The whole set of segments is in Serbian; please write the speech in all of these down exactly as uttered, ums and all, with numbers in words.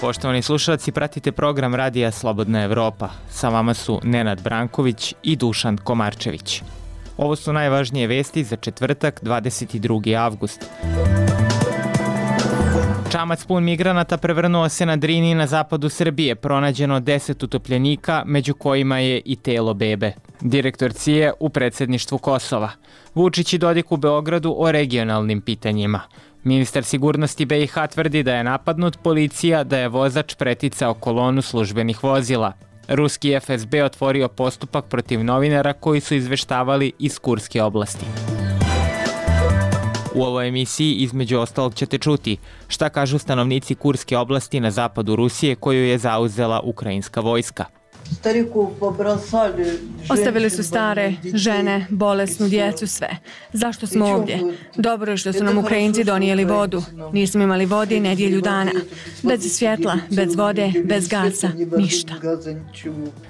Poštovani slušalci, pratite program Radija Slobodna Evropa. Sa vama su Nenad Branković i Dušan Komarčević. Ovo su najvažnije vesti za četvrtak, dvadeset drugi avgust. Čamac pun migranata prevrnuo se na Drini na zapadu Srbije. Pronađeno deset utopljenika, među kojima je i telo bebe. Direktor C I E u predsedništvu Kosova. Vučić i Dodik u Beogradu o regionalnim pitanjima. Ministar sigurnosti B i H tvrdi da je napadnut, policija da je vozač preticao kolonu službenih vozila. Ruski F S B otvorio postupak protiv novinara koji su izveštavali iz Kurske oblasti. U ovoj emisiji između ostalog ćete čuti šta kažu stanovnici Kurske oblasti na zapadu Rusije koju je zauzela ukrajinska vojska. Ostavili su stare, žene, bolesnu djecu, sve. Zašto smo ovdje? Dobro je što su nam Ukrajinci donijeli vodu. Nismo imali vode nedjelju dana. Bez svjetla, bez vode, bez gasa, ništa.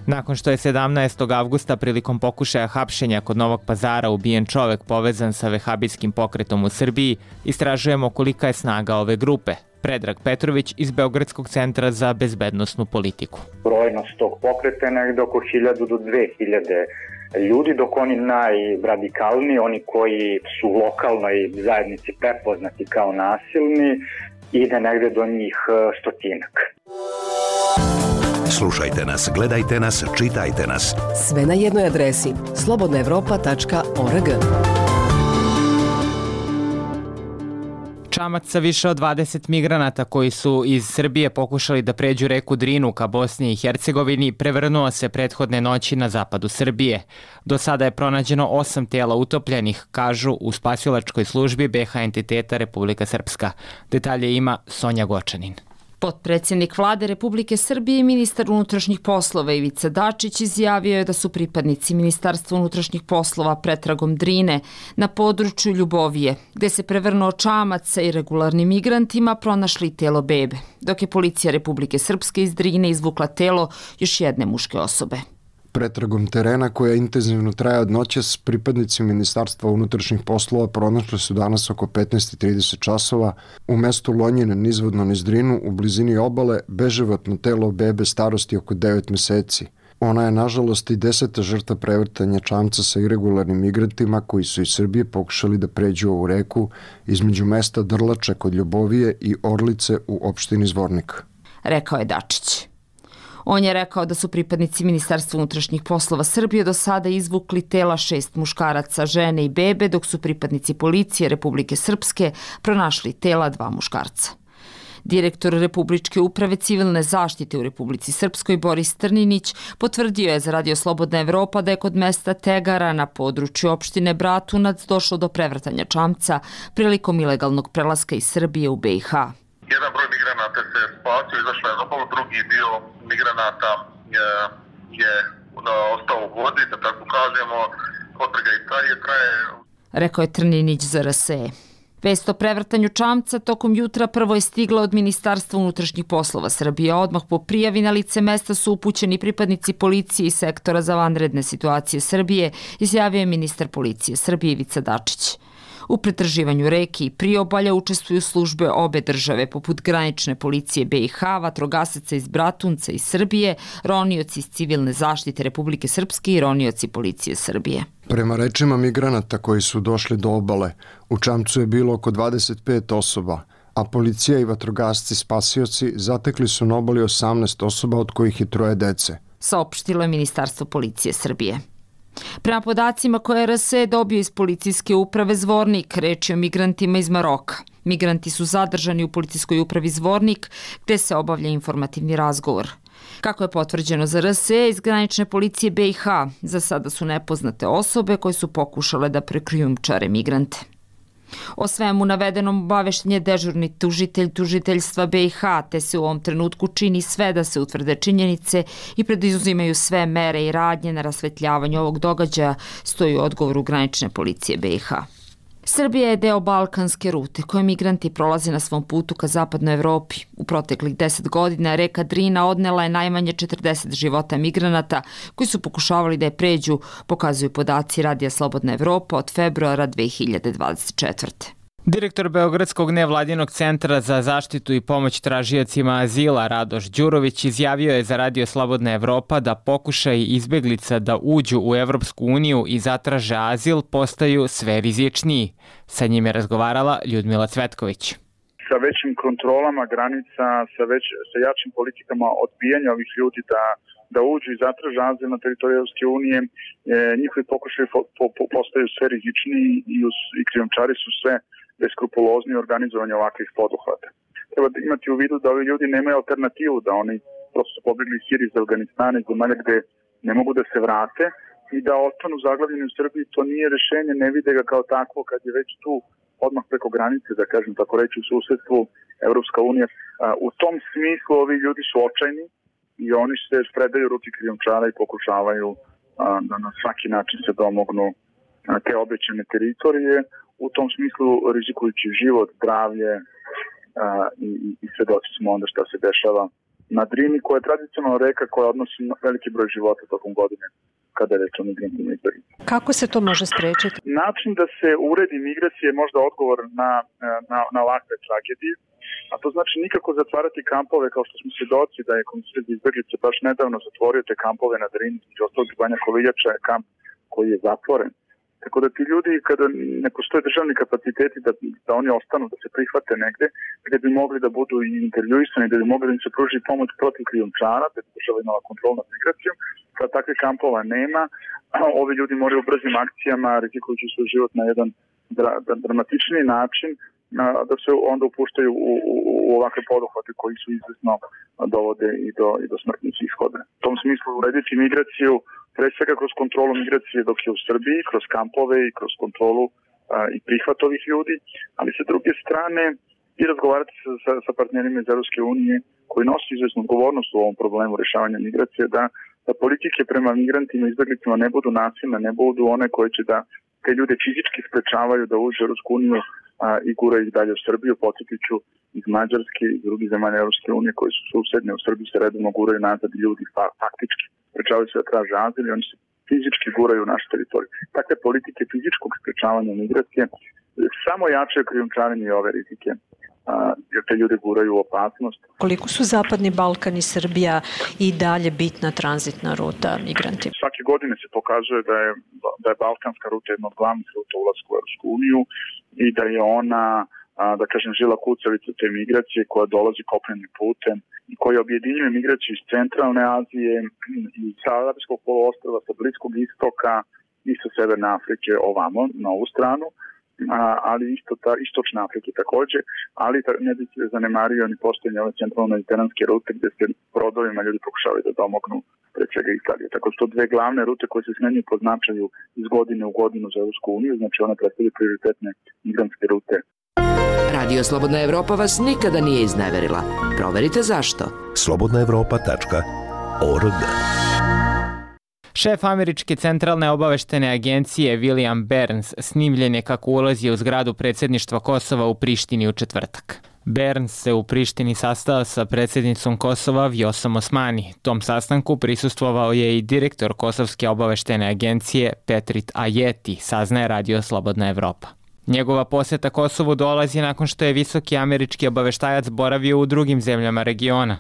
Nakon što je sedamnaestog avgusta prilikom pokušaja hapšenja kod Novog Pazara ubijen čovek povezan sa vehabijskim pokretom u Srbiji, istražujemo kolika je snaga ove grupe. Predrag Petrović iz Beogradskog centra za bezbednosnu politiku. Brojnost tog pokreta je negde oko hiljadu do dve hiljade ljudi, dok oni najradikalniji, oni koji su u lokalnoj zajednici prepoznati kao nasilni, ide negde do njih stotinak. Slušajte nas, gledajte nas, čitajte nas. Sve na jednoj adresi slobodna evropa tačka org. Čamac sa više od dvadeset migranata koji su iz Srbije pokušali da pređu reku Drinu ka Bosni i Hercegovini prevrnuo se prethodne noći na zapadu Srbije. Do sada je pronađeno osam tela utopljenih, kažu u spasilačkoj službi B H entiteta Republika Srpska. Detalje ima Sonja Gočanin. Potpredsjednik vlade Republike Srbije i ministar unutrašnjih poslova Ivica Dačić izjavio je da su pripadnici Ministarstva unutrašnjih poslova pretragom Drine na području Ljubovije, gde se prevrnuo čamac sa irregularnim migrantima, pronašli telo bebe, dok je policija Republike Srpske iz Drine izvukla telo još jedne muške osobe. Pretragom terena koja intenzivno traje od noćas, pripadnici Ministarstva unutrašnjih poslova pronašli su danas oko petnaest i trideset časova u mestu Lonjine nizvodno niz Drinu u blizini obale beživotno telo bebe starosti oko devet meseci. Ona je nažalost i deseta žrtva prevrtanja čamca sa irregularnim migrantima koji su iz Srbije pokušali da pređu ovu reku između mesta Drlače kod Ljubovije i Orlice u opštini Zvornik. Rekao je Dačić. On je rekao da su pripadnici Ministarstva unutrašnjih poslova Srbije do sada izvukli tela šest muškaraca, žene i bebe, dok su pripadnici policije Republike Srpske pronašli tela dva muškarca. Direktor Republičke uprave civilne zaštite u Republici Srpskoj Boris Trninić potvrdio je za Radio Slobodna Evropa da je kod mesta Tegara na području opštine Bratunac došlo do prevrtanja čamca prilikom ilegalnog prelaska iz Srbije u B i H. Jedan broj migranata se spasio, izašao je na obalu, drugi dio migranata je, je ostao u vodi, da tako kažemo, potraga i traje, traje. Rekao je Trninić za R S E. Vest o prevrtanju čamca tokom jutra prvo je stigla od Ministarstva unutrašnjih poslova Srbije. Odmah po prijavi na lice mesta su upućeni pripadnici policije i sektora za vanredne situacije Srbije, izjavio je ministar policije Srbije Ivica Dačić. U pretraživanju reke i priobalja učestvuju službe obe države, poput granične policije B i H, vatrogasaca iz Bratunca i Srbije, ronioci iz civilne zaštite Republike Srpske i ronioci policije Srbije. Prema rečima migranata koji su došli do obale, u čamcu je bilo oko dvadeset pet osoba, a policija i vatrogasci spasioci zatekli su na obali osamnaest osoba, od kojih je troje dece. Saopštilo je Ministarstvo policije Srbije. Prema podacima koje R S E dobio iz policijske uprave Zvornik, reč je o migrantima iz Maroka. Migranti su zadržani u policijskoj upravi Zvornik, gde se obavlja informativni razgovor. Kako je potvrđeno za R S E, iz granične policije B i H, za sada su nepoznate osobe koje su pokušale da prekrijumčare migrante. O svemu navedenom obavešten je dežurni tužitelj tužiteljstva B i H, te se u ovom trenutku čini sve da se utvrde činjenice i preduzimaju sve mere i radnje na rasvetljavanju ovog događaja, stoji u odgovoru granične policije B i H. Srbija je deo balkanske rute koje migranti prolaze na svom putu ka zapadnoj Evropi. U proteklih deset godina reka Drina odnela je najmanje četrdeset života migranata koji su pokušavali da je pređu, pokazuju podaci Radija Slobodna Evropa od februara dve hiljade dvadeset četvrte. Direktor Beogradskog nevladinog centra za zaštitu i pomoć tražiocima azila Radoš Đurović izjavio je za Radio Slobodna Evropa da pokušaj izbeglica da uđu u Evropsku uniju i zatraže azil postaju sve rizičniji. Sa njim je razgovarala Ljudmila Cvetković. Sa većim kontrolama granica, sa, već, sa jačim politikama odbijanja ovih ljudi da da uđu i zatraže azil na teritoriju Evropske unije, e, njihovi pokušaji po, po, postaju sve rizičniji i, i krijumčari su sve beskrupulozni u organizovanju ovakvih poduhvata. Treba da imati u vidu da ovi ljudi nemaju alternativu, da oni prosto su pobegli iz Sirije, iz Afganistana, iz zemalja gde ne mogu da se vrate i da ostanu zaglavljeni u Srbiji. To nije rešenje, ne vide ga kao takvo kad je već tu odmah preko granice, da kažem tako reći, u susedstvu Evropska unija. U tom smislu ovi ljudi su očajni i oni se predaju ruki krijumčara i pokušavaju da na svaki način se domognu te obećane teritorije, u tom smislu rizikujući život, zdravlje i, i svedoci smo onda šta se dešava na Drini, koja je tradicionalna reka koja odnosi veliki broj života tokom godine kada je reč o migrantima i izbeglicama. Kako se to može sprečiti? Način da se uredi migracije je možda odgovor na, na, na ovakve tragedije, a to znači nikako zatvarati kampove kao što smo svedoci da je Komisija za izbeglice baš nedavno zatvorio te kampove na Drini, između ostalog Banja Koviljača je kamp koji je zatvoren. Tako da ti ljudi, kada ne postoje državni kapaciteti da, da oni ostanu, da se prihvate negde, gde bi mogli da budu i intervjuisani, da bi mogli da im se pruži pomoć protiv krijumčara, da bi država imala kontrol nad migracijom, kada takve kampova nema, ovi ljudi moraju u brzim akcijama, rizikujući svoj život na jedan dra, dramatičniji način, da se onda upuštaju u, u, u ovakve poduhvate koji su izvesno dovode i do, i do smrtnih ishoda. U tom smislu urediti migraciju pre svega kroz kontrolu migracije dok je u Srbiji, kroz kampove i kroz kontrolu a, i prihvat ovih ljudi, ali sa druge strane i razgovarati sa, sa, sa partnerima iz Evropske unije koji nosi izvesnu odgovornost u ovom problemu rešavanja migracije, da, da politike prema migrantima i izbeglicama ne budu nasilne, ne budu one koje će da te ljude fizički sprečavaju da uđu u Evropsku uniju a, i guraju ih dalje u Srbiju. Podsjetit ću iz Mađarske i drugih zemalja Evropske unije koji su susedne u Srbiji se redovno guraju nazad ljudi fa, faktički sprečavaju se da traže azil i oni se fizički guraju u našu teritoriju. Takve politike fizičkog sprečavanja migracije samo jačaju krijumčarenje i ove rizike, a, jer te ljude guraju u opasnost. Koliko su Zapadni Balkan i Srbija i dalje bitna tranzitna ruta migrantima? Svake godine se pokazuje da je, da je balkanska ruta jedna od glavnih ruta ulaska u Evropsku uniju i da je ona, a, da kažem, žila kucavica te migracije koja dolazi kopnenim putem i koja objedinjuje migraciju iz centralne Azije, iz Arapskog poluostrva, sa Bliskog istoka i sa Severne Afrike ovamo, na ovu stranu, a, ali isto ta, istočne Afrike takođe, ali ta, ne bi se zanemario ni postojanje ove centralno-mediteranske rute gde se brodovima ljudi pokušavaju da domognu pre svega Italije. Tako su to dve glavne rute koje se smenjuju po značaju iz godine u godinu za Evropsku uniju, znači one predstavljaju prioritetne migrantske rute. Radio Slobodna Evropa vas nikada nije izneverila. Proverite zašto. slobodna evropa tačka org. Šef Američke centralne obaveštene agencije William Burns snimljen je kako ulazi u zgradu predsjedništva Kosova u Prištini u četvrtak. Burns se u Prištini sastao sa predsjednicom Kosova Vjosom Osmani. Tom sastanku prisustvovao je i direktor Kosovske obaveštene agencije Petrit Ajeti, saznaje Radio Slobodna Evropa. Njegova poseta Kosovu dolazi nakon što je visoki američki obaveštajac boravio u drugim zemljama regiona.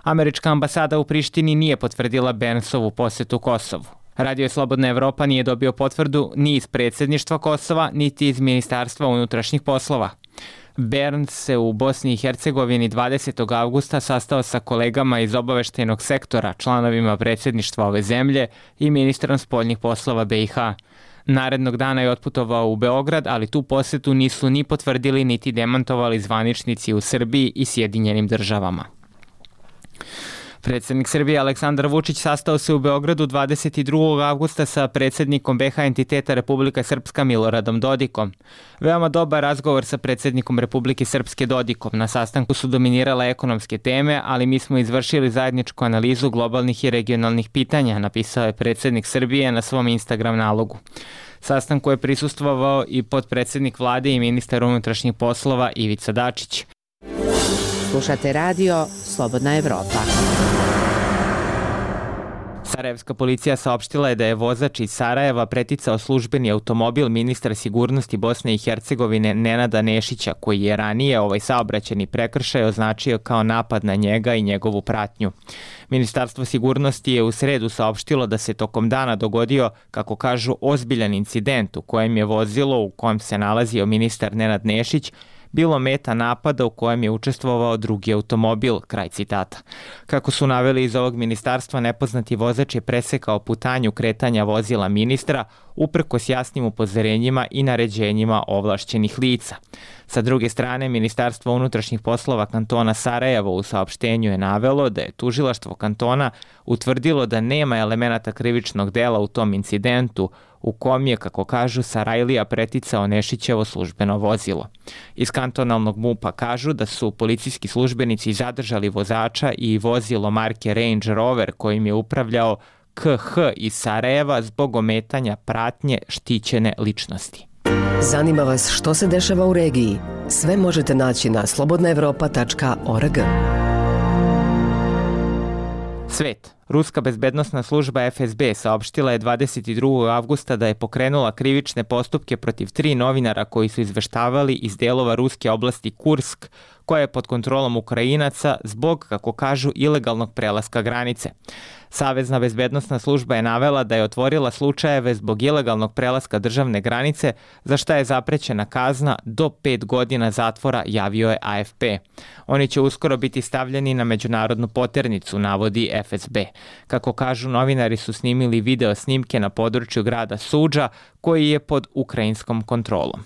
Američka ambasada u Prištini nije potvrdila Burnsovu posetu Kosovu. Radio Slobodna Evropa nije dobio potvrdu ni iz predsjedništva Kosova, niti iz Ministarstva unutrašnjih poslova. Burns se u Bosni i Hercegovini dvadesetog avgusta sastao sa kolegama iz obaveštajnog sektora, članovima predsjedništva ove zemlje i ministrom spoljnih poslova be i ha. Narednog dana je otputovao u Beograd, ali tu posetu nisu ni potvrdili niti demantovali zvaničnici u Srbiji i Sjedinjenim državama. Predsjednik Srbije Aleksandar Vučić sastao se u Beogradu dvadeset drugog avgusta sa predsjednikom be ha entiteta Republika Srpska Miloradom Dodikom. Veoma dobar razgovor sa predsjednikom Republike Srpske Dodikom. Na sastanku su dominirale ekonomske teme, ali mi smo izvršili zajedničku analizu globalnih i regionalnih pitanja, napisao je predsjednik Srbije na svom Instagram nalogu. Sastanku je prisustvovao i potpredsjednik vlade i ministar unutrašnjih poslova Ivica Dačić. Slušate radio Slobodna Evropa. Sarajevska policija saopštila je da je vozač iz Sarajeva preticao službeni automobil ministra sigurnosti Bosne i Hercegovine Nenada Nešića, koji je ranije ovaj saobraćajni prekršaj označio kao napad na njega i njegovu pratnju. Ministarstvo sigurnosti je u sredu saopštilo da se tokom dana dogodio, kako kažu, ozbiljan incident u kojem je vozilo u kojem se nalazio ministar Nenad Nešić bilo meta napada u kojem je učestvovao drugi automobil, kraj citata. Kako su naveli iz ovog ministarstva, nepoznati vozač je presekao putanju kretanja vozila ministra uprkos jasnim upozorenjima i naređenjima ovlašćenih lica. Sa druge strane, Ministarstvo unutrašnjih poslova kantona Sarajevo u saopštenju je navelo da je tužilaštvo kantona utvrdilo da nema elemenata krivičnog dela u tom incidentu u kom je, kako kažu, Sarajlija preticao Nešićevo službeno vozilo. Iz kantonalnog MUP-a kažu da su policijski službenici zadržali vozača i vozilo marke Range Rover kojim je upravljao K H iz Sarajeva zbog ometanja pratnje štićene ličnosti. Zanima vas što se dešava u regiji? Sve možete naći na slobodna evropa tačka org. Svet. Ruska bezbednosna služba F S B saopštila je dvadeset drugog avgusta da je pokrenula krivične postupke protiv tri novinara koji su izveštavali iz delova ruske oblasti Kursk, koja je pod kontrolom Ukrajinaca zbog, kako kažu, ilegalnog prelaska granice. Savezna bezbednosna služba je navela da je otvorila slučajeve zbog ilegalnog prelaska državne granice, za šta je zaprećena kazna do pet godina zatvora, javio je A F P. Oni će uskoro biti stavljeni na međunarodnu poternicu, navodi F S B. Kako kažu, novinari su snimili video snimke na području grada Suđa, koji je pod ukrajinskom kontrolom.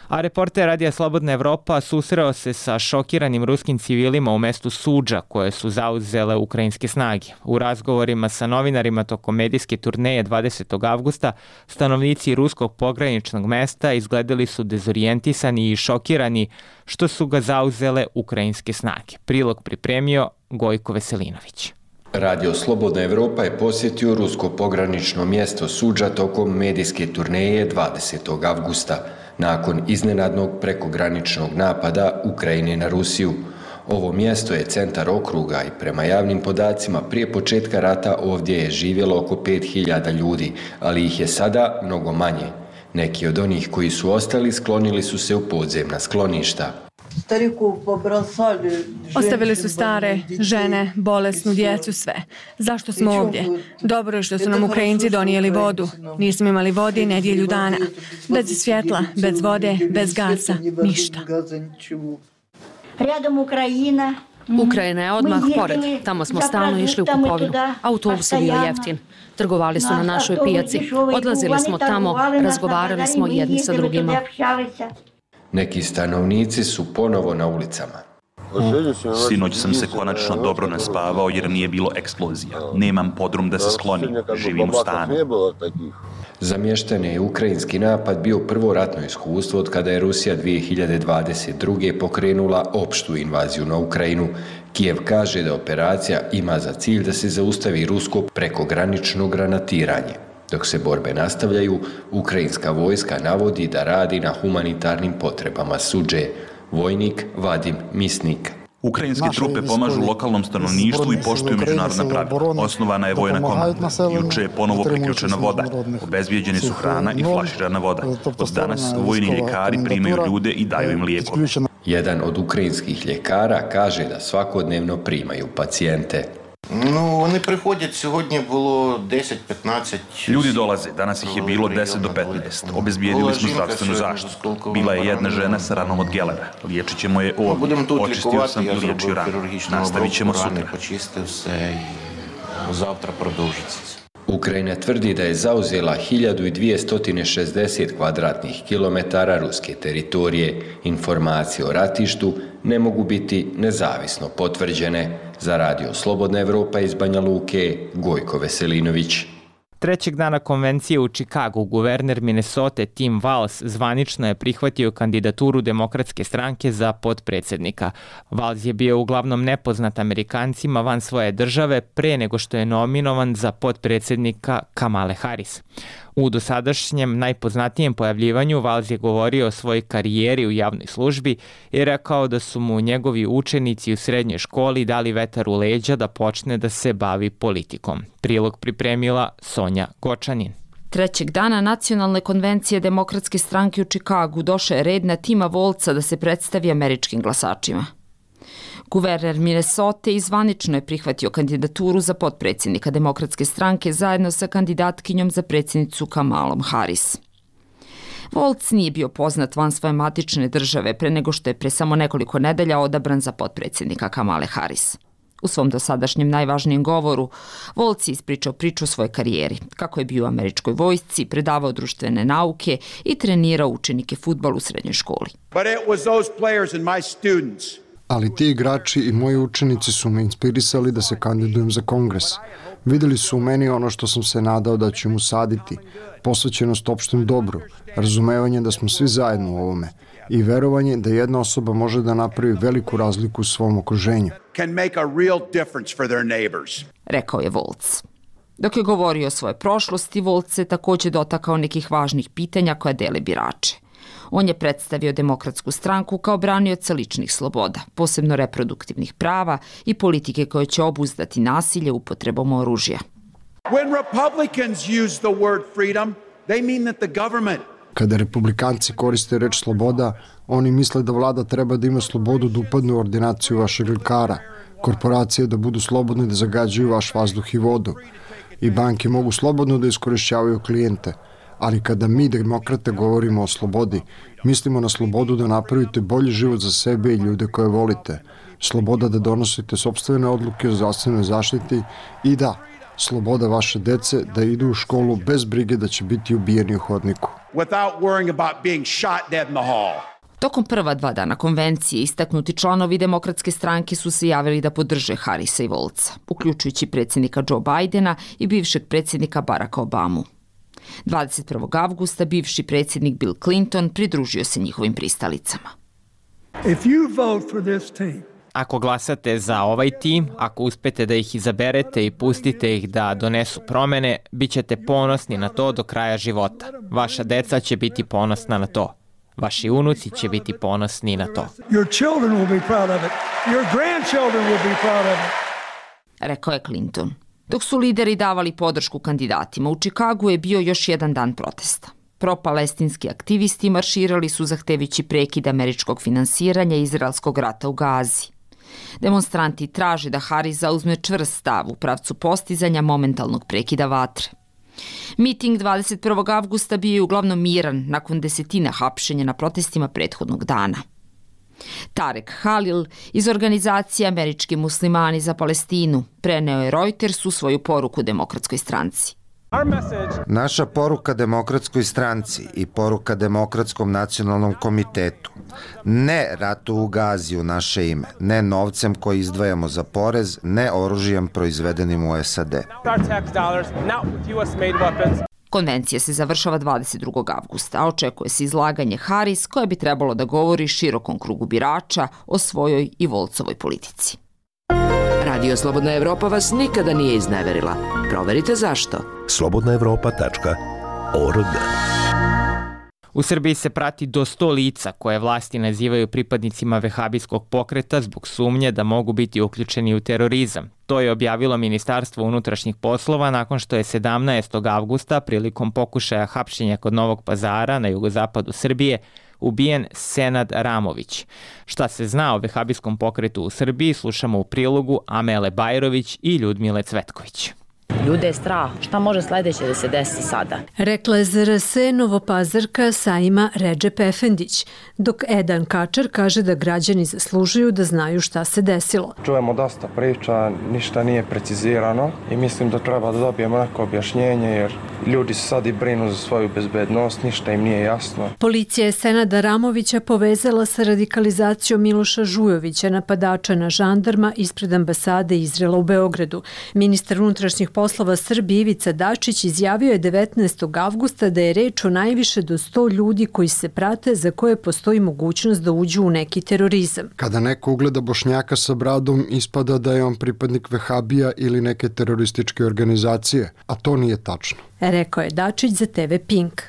A reporter Radija Slobodna Evropa susreo se sa šokiranim ruskim civilima u mestu Suđa koje su zauzele ukrajinske snage. U razgovorima sa novinarima tokom medijske turneje dvadesetog avgusta stanovnici ruskog pograničnog mesta izgledali su dezorijentisani i šokirani što su ga zauzele ukrajinske snage. Prilog pripremio Gojko Veselinović. Radio Slobodna Evropa je posjetio rusko pogranično mjesto Suđa tokom medijske turneje dvadesetog avgusta. Nakon iznenadnog prekograničnog napada Ukrajine na Rusiju. Ovo mjesto je centar okruga i prema javnim podacima prije početka rata ovdje je živjelo oko pet hiljada ljudi, ali ih je sada mnogo manje. Neki od onih koji su ostali sklonili su se u podzemna skloništa. Ostavili su stare, žene, bolesnu djecu, sve. Zašto smo ovdje? Dobro je što su nam Ukrajinci donijeli vodu. Nismo imali vode nedjelju dana. Bez svjetla, bez vode, bez gasa, ništa. Ukrajina je odmah pored. Tamo smo stalno išli u kupovinu. Autobus je bio jeftin. Trgovali su na našoj pijaci. Odlazili smo tamo, razgovarali smo jedni sa drugima. Neki stanovnici su ponovo na ulicama. Sinoć sam se konačno dobro naspavao jer nije bilo eksplozija. Nemam podrum da se sklonim, živim u stanu. Za mještane je ukrajinski napad bio prvo ratno iskustvo od kada je Rusija dvije hiljade dvadeset druge pokrenula opštu invaziju na Ukrajinu. Kijev kaže da operacija ima za cilj da se zaustavi rusko prekogranično granatiranje. Dok se borbe nastavljaju, ukrajinska vojska navodi da radi na humanitarnim potrebama Suđe. Vojnik Vadim Misnik. Ukrajinske trupe pomažu lokalnom stanovništvu i poštuju međunarodna pravila. Osnovana je vojna komanda. Juče je ponovo priključena voda. Obezbijeđeni su hrana i flaširana voda. Od danas vojni ljekari primaju ljude i daju im lijekove. Jedan od ukrajinskih ljekara kaže da svakodnevno primaju pacijente. No, oni prihodять, sьогодні було deset do petnaest. Ljudi dolaze, danas ih je bilo deset do petnaest. Obezbijedili smo zdravstvenu zaštitu. Bila je jedna žena sa ranom od gelera. Liječit ćemo je ovdje. Očistio sam i liječio ranu. Nastavit ćemo sutra. Завтра продовжиться. Ukrajina tvrdi da je zauzela hiljadu dvjesto šezdeset kvadratnih kilometara ruske teritorije. Informacije o ratištu ne mogu biti nezavisno potvrđene. Za Radio Slobodna Evropa iz Banja Luke, Gojko Veselinović. Trećeg dana konvencije u Čikagu guverner Minnesota Tim Walz zvanično je prihvatio kandidaturu Demokratske stranke za potpredsjednika. Walz je bio uglavnom nepoznat Amerikancima van svoje države pre nego što je nominovan za potpredsjednika Kamale Harris. U dosadašnjem najpoznatijem pojavljivanju Valz je govorio o svojoj karijeri u javnoj službi i rekao da su mu njegovi učenici u srednjoj školi dali vetar u leđa da počne da se bavi politikom. Prilog pripremila Sonja Gočanin. Trećeg dana Nacionalne konvencije Demokratske stranke u Čikagu došao je red na Tima Volca da se predstavi američkim glasačima. Guverner Minnesota izvanično je prihvatio kandidaturu za potpredsjednika Demokratske stranke zajedno sa kandidatkinjom za predsjednicu Kamalom Harris. Volc nije bio poznat van svoje matične države pre nego što je pre samo nekoliko nedelja odabran za potpredsjednika Kamale Harris. U svom dosadašnjem najvažnijem govoru, Volc je ispričao priču o svojoj karijeri, kako je bio u američkoj vojsci, predavao društvene nauke i trenirao učenike fudbal u srednjoj školi. But it was those players and my students. Ali ti igrači i moji učenici su me inspirisali da se kandidujem za kongres. Videli su u meni ono što sam se nadao da ću im usaditi, posvećenost opštem dobru, razumevanje da smo svi zajedno u ovome i verovanje da jedna osoba može da napravi veliku razliku u svom okruženju. Can make a real difference for their neighbors. Rekao je Volc. Dok je govorio o svojoj prošlosti, Volc se također dotakao nekih važnih pitanja koja dele birače. On je predstavio Demokratsku stranku kao branioca ličnih sloboda, posebno reproduktivnih prava i politike koje će obuzdati nasilje upotrebom oružja. When Republicans use the word freedom, they mean that the government. Kada republikanci koriste reč sloboda, oni misle da vlada treba da ima slobodu da upadne u ordinaciju vašeg lekara, korporacije da budu slobodne da zagađuju vaš vazduh i vodu i banke mogu slobodno da iskorišćavaju klijente. Ali kada mi, demokrate, govorimo o slobodi, mislimo na slobodu da napravite bolji život za sebe i ljude koje volite, sloboda da donosite sopstvene odluke o zdravstvenoj zaštiti i da, sloboda vaše dece da idu u školu bez brige da će biti ubijeni u hodniku. Without worrying about being shot dead in the hall. Tokom prva dva dana konvencije istaknuti članovi Demokratske stranke su se javili da podrže Harrisa i Volca, uključujući predsjednika Joe Bidena i bivšeg predsjednika Baracka Obamu. dvadeset prvog avgusta bivši predsjednik Bill Clinton pridružio se njihovim pristalicama. If you vote for this team, Ako glasate za ovaj tim, ako uspete da ih izaberete i pustite ih da donesu promene, bit ćete ponosni na to do kraja života. Vaša deca će biti ponosna na to. Vaši unuci će biti ponosni na to. Your children will be proud of it. Your grandchildren will be proud of it. Rekao je Clinton. Dok su lideri davali podršku kandidatima, u Čikagu je bio još jedan dan protesta. Pro-palestinski aktivisti marširali su zahtevići prekid američkog finansiranja izraelskog rata u Gazi. Demonstranti traže da Harris zauzme čvrst stav u pravcu postizanja momentalnog prekida vatre. Miting dvadeset prvog avgusta bio je uglavnom miran nakon desetina hapšenja na protestima prethodnog dana. Tarek Halil iz organizacije Američki muslimani za Palestinu preneo je Reutersu svoju poruku Demokratskoj stranci. Naša poruka Demokratskoj stranci i poruka Demokratskom nacionalnom komitetu. Ne ratu u Gazi u naše ime, ne novcem koji izdvajamo za porez, ne oružjem proizvedenim u S A D. Konvencija se završava dvadeset drugog avgusta, a očekuje se izlaganje Harris koje bi trebalo da govori širokom krugu birača o svojoj i Volcovoj politici. Radio Slobodna Evropa vas nikada nije izneverila. Proverite zašto. slobodna evropa tačka org. U Srbiji se prati do sto lica koje vlasti nazivaju pripadnicima vehabijskog pokreta zbog sumnje da mogu biti uključeni u terorizam. To je objavilo Ministarstvo unutrašnjih poslova nakon što je sedamnaestog avgusta prilikom pokušaja hapšenja kod Novog Pazara na jugozapadu Srbije ubijen Senad Ramović. Šta se zna o vehabijskom pokretu u Srbiji slušamo u prilogu Amele Bajrović i Ljudmile Cvetković. Ljude je strah. Šta može sledeće da se desi sada? Rekla je za R S Novopazarka Saima Redžep Efendić, dok Edan Kačar kaže da građani zaslužuju da znaju šta se desilo. Čujemo dosta priča, ništa nije precizirano i mislim da treba da dobijemo neko objašnjenje jer ljudi se sad i brinu za svoju bezbednost, ništa im nije jasno. Policija je Senada Ramovića povezala sa radikalizacijom Miloša Žujovića, napadača na žandarma ispred ambasade Izraela u Beogradu. Ministar unutrašnjih poslova Srbije Ivica Dačić izjavio je devetnaestog avgusta da je reč o najviše do sto ljudi koji se prate za koje postoji mogućnost da uđu u neki terorizam. Kada neko ugleda Bošnjaka sa bradom, ispada da je on pripadnik Vehabija ili neke terorističke organizacije, a to nije tačno. rekao je Dačić za te ve Pink.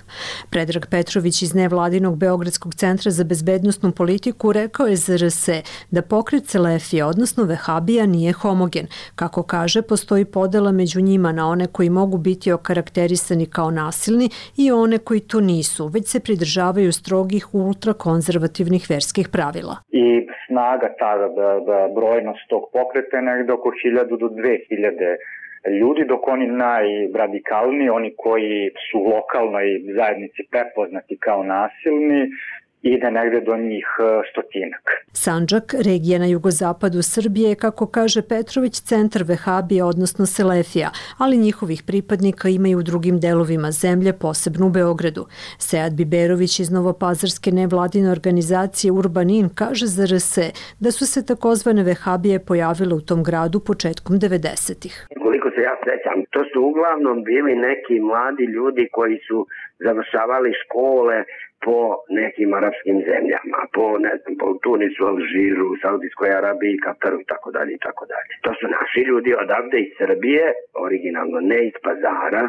Predrag Petrović iz nevladinog Beogradskog centra za bezbednosnu politiku rekao je za er es da pokret Selefija, odnosno vehabija, nije homogen. Kako kaže, postoji podela među njima na one koji mogu biti okarakterisani kao nasilni i one koji to nisu, već se pridržavaju strogih ultrakonzervativnih verskih pravila. I snaga, ta brojnost tog pokreta je negde oko hiljadu do dve hiljade ljudi, dok oni najradikalniji, oni koji su u lokalnoj zajednici prepoznati kao nasilni, ide negde do njih stotinak. Sandžak, regija na jugozapadu Srbije, je, kako kaže Petrović, centar vehabija, odnosno Selefija, ali njihovih pripadnika ima i u drugim delovima zemlje, posebno u Beogradu. Sead Biberović iz Novopazarske nevladine organizacije Urbanin kaže za er es da su se takozvane vehabije pojavile u tom gradu početkom devedesetih. Koliko se ja sećam, to su uglavnom bili neki mladi ljudi koji su završavali škole po nekim arapskim zemljama, po, ne znam, po Tunisu, Alžiru, Saudijskoj Arabiji, Kataru i tako dalje i tako dalje. To su naši ljudi odavde iz Srbije, originalno ne iz Pazara,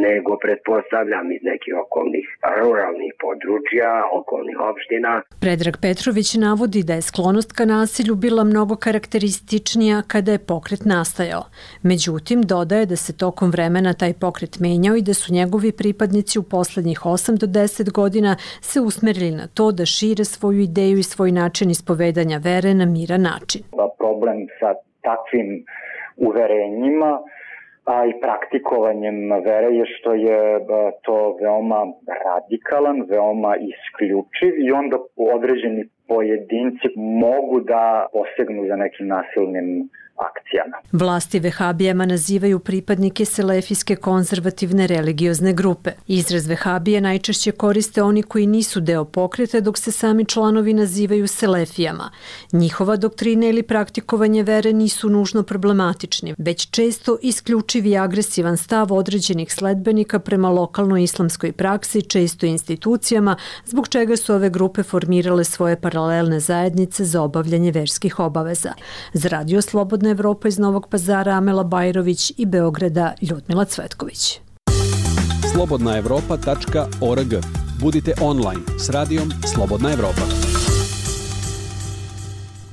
nego pretpostavljam iz nekih okolnih ruralnih područja, okolnih opština. Predrag Petrović navodi da je sklonost ka nasilju bila mnogo karakterističnija kada je pokret nastajao. Međutim, dodaje da se tokom vremena taj pokret menjao i da su njegovi pripadnici u poslednjih osam do deset godina se usmerili na to da šire svoju ideju i svoj način ispovedanja vere na miran način. Problem sa takvim uverenjima a i praktikovanjem vere je što je to veoma radikalan, veoma isključiv i onda određeni pojedinci mogu da posegnu za nekim nasilnim akcijama. Vlasti vehabijama nazivaju pripadnike selefijske konzervativne religiozne grupe. Izraz vehabije najčešće koriste oni koji nisu deo pokreta, dok se sami članovi nazivaju selefijama. Njihova doktrina ili praktikovanje vere nisu nužno problematični, već često isključiv i agresivan stav određenih sledbenika prema lokalnoj islamskoj praksi, često institucijama, zbog čega su ove grupe formirale svoje paralelne zajednice za obavljanje verskih obaveza. Za Radio Slobodna Evropa iz Novog Pazara Amela Bajrović i Beograda Ljudmila Cvetković. slobodna evropa tačka org. Budite online s radijom Slobodna Evropa.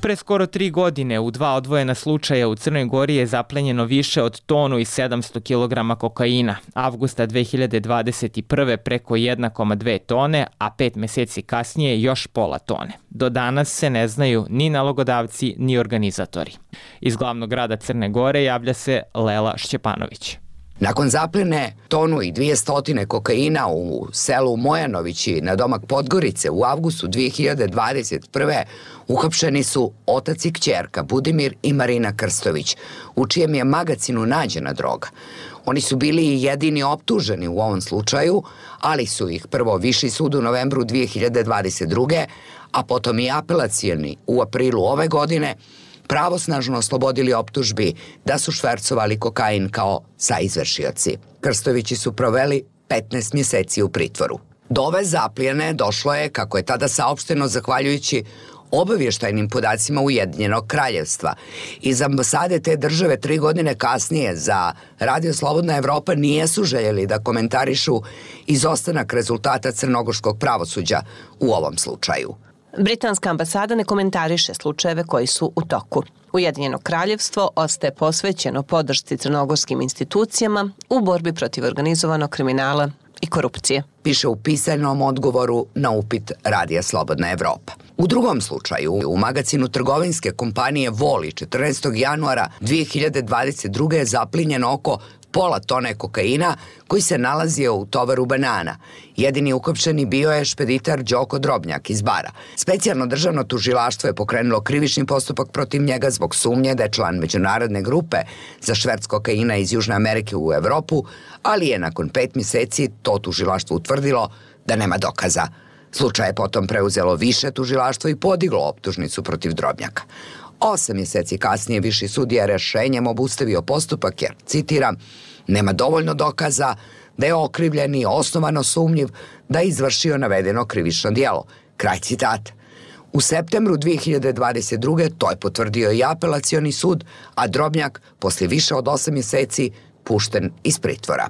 Pre skoro tri godine u dva odvojena slučaja u Crnoj Gori je zaplenjeno više od tonu i sedamsto kilograma kokaina. Avgusta dve hiljade dvadeset prve preko jedna zarez dve tone, a pet meseci kasnije još pola tone. Do danas se ne znaju ni nalogodavci ni organizatori. Iz glavnog grada Crne Gore javlja se Lela Šćepanović. Nakon zapljene tonu i dvije stotine kokaina u selu Mojanovići na domak Podgorice u avgustu dve hiljade dvadeset prve uhapšeni su otac i kćerka Budimir i Marina Krstović, u čijem je magacinu nađena droga. Oni su bili i jedini optuženi u ovom slučaju, ali su ih prvo Viši sud u novembru dve hiljade dvadeset druge, a potom i apelacioni u aprilu ove godine, pravosnažno oslobodili optužbi da su švercovali kokain kao saizvršioci. Krstovići su proveli petnaest mjeseci u pritvoru. Do ove zaplijene došlo je, kako je tada saopšteno, zahvaljujući obavještajnim podacima Ujedinjenog kraljevstva. Iz ambasade te države tri godine kasnije za Radio Slobodna Evropa nijesu željeli da komentarišu izostanak rezultata crnogorskog pravosuđa u ovom slučaju. Britanska ambasada ne komentariše slučajeve koji su u toku. Ujedinjeno kraljevstvo ostaje posvećeno podršci crnogorskim institucijama u borbi protiv organizovanog kriminala i korupcije. Piše u pisanom odgovoru na upit Radija Slobodna Evropa. U drugom slučaju, u magacinu trgovinske kompanije Voli četrnaestog januara dve hiljade dvadeset druge je zaplinjeno oko pola tone kokaina koji se nalazio u tovaru banana. Jedini ukopčeni bio je špeditar Đoko Drobnjak iz Bara. Specijalno državno tužilaštvo je pokrenulo krivični postupak protiv njega zbog sumnje da je član međunarodne grupe za šverc kokaina iz Južne Amerike u Evropu, ali je nakon pet mjeseci to tužilaštvo utvrdilo da nema dokaza. Slučaj je potom preuzelo više tužilaštvo i podiglo optužnicu protiv Drobnjaka. Osam mjeseci kasnije Viši sud je rješenjem obustavio postupak jer, citiram, nema dovoljno dokaza da je okrivljeni osnovano sumnjiv da je izvršio navedeno krivično djelo. Kraj citata. U septembru dve hiljade dvadeset druge to je potvrdio i apelacioni sud, a Drobnjak poslije više od osam mjeseci pušten iz pritvora.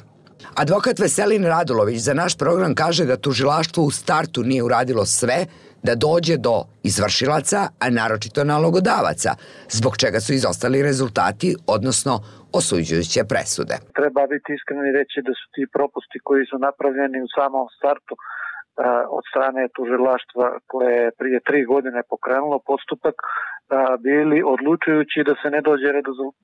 Advokat Veselin Radulović za naš program kaže da tužilaštvo u startu nije uradilo sve da dođe do izvršilaca, a naročito nalogodavaca, zbog čega su izostali rezultati, odnosno osuđujuće presude. Treba biti iskren i reći da su ti propusti koji su napravljeni u samom startu od strane tužilaštva koje je prije tri godine pokrenulo postupak bili odlučujući da se ne dođe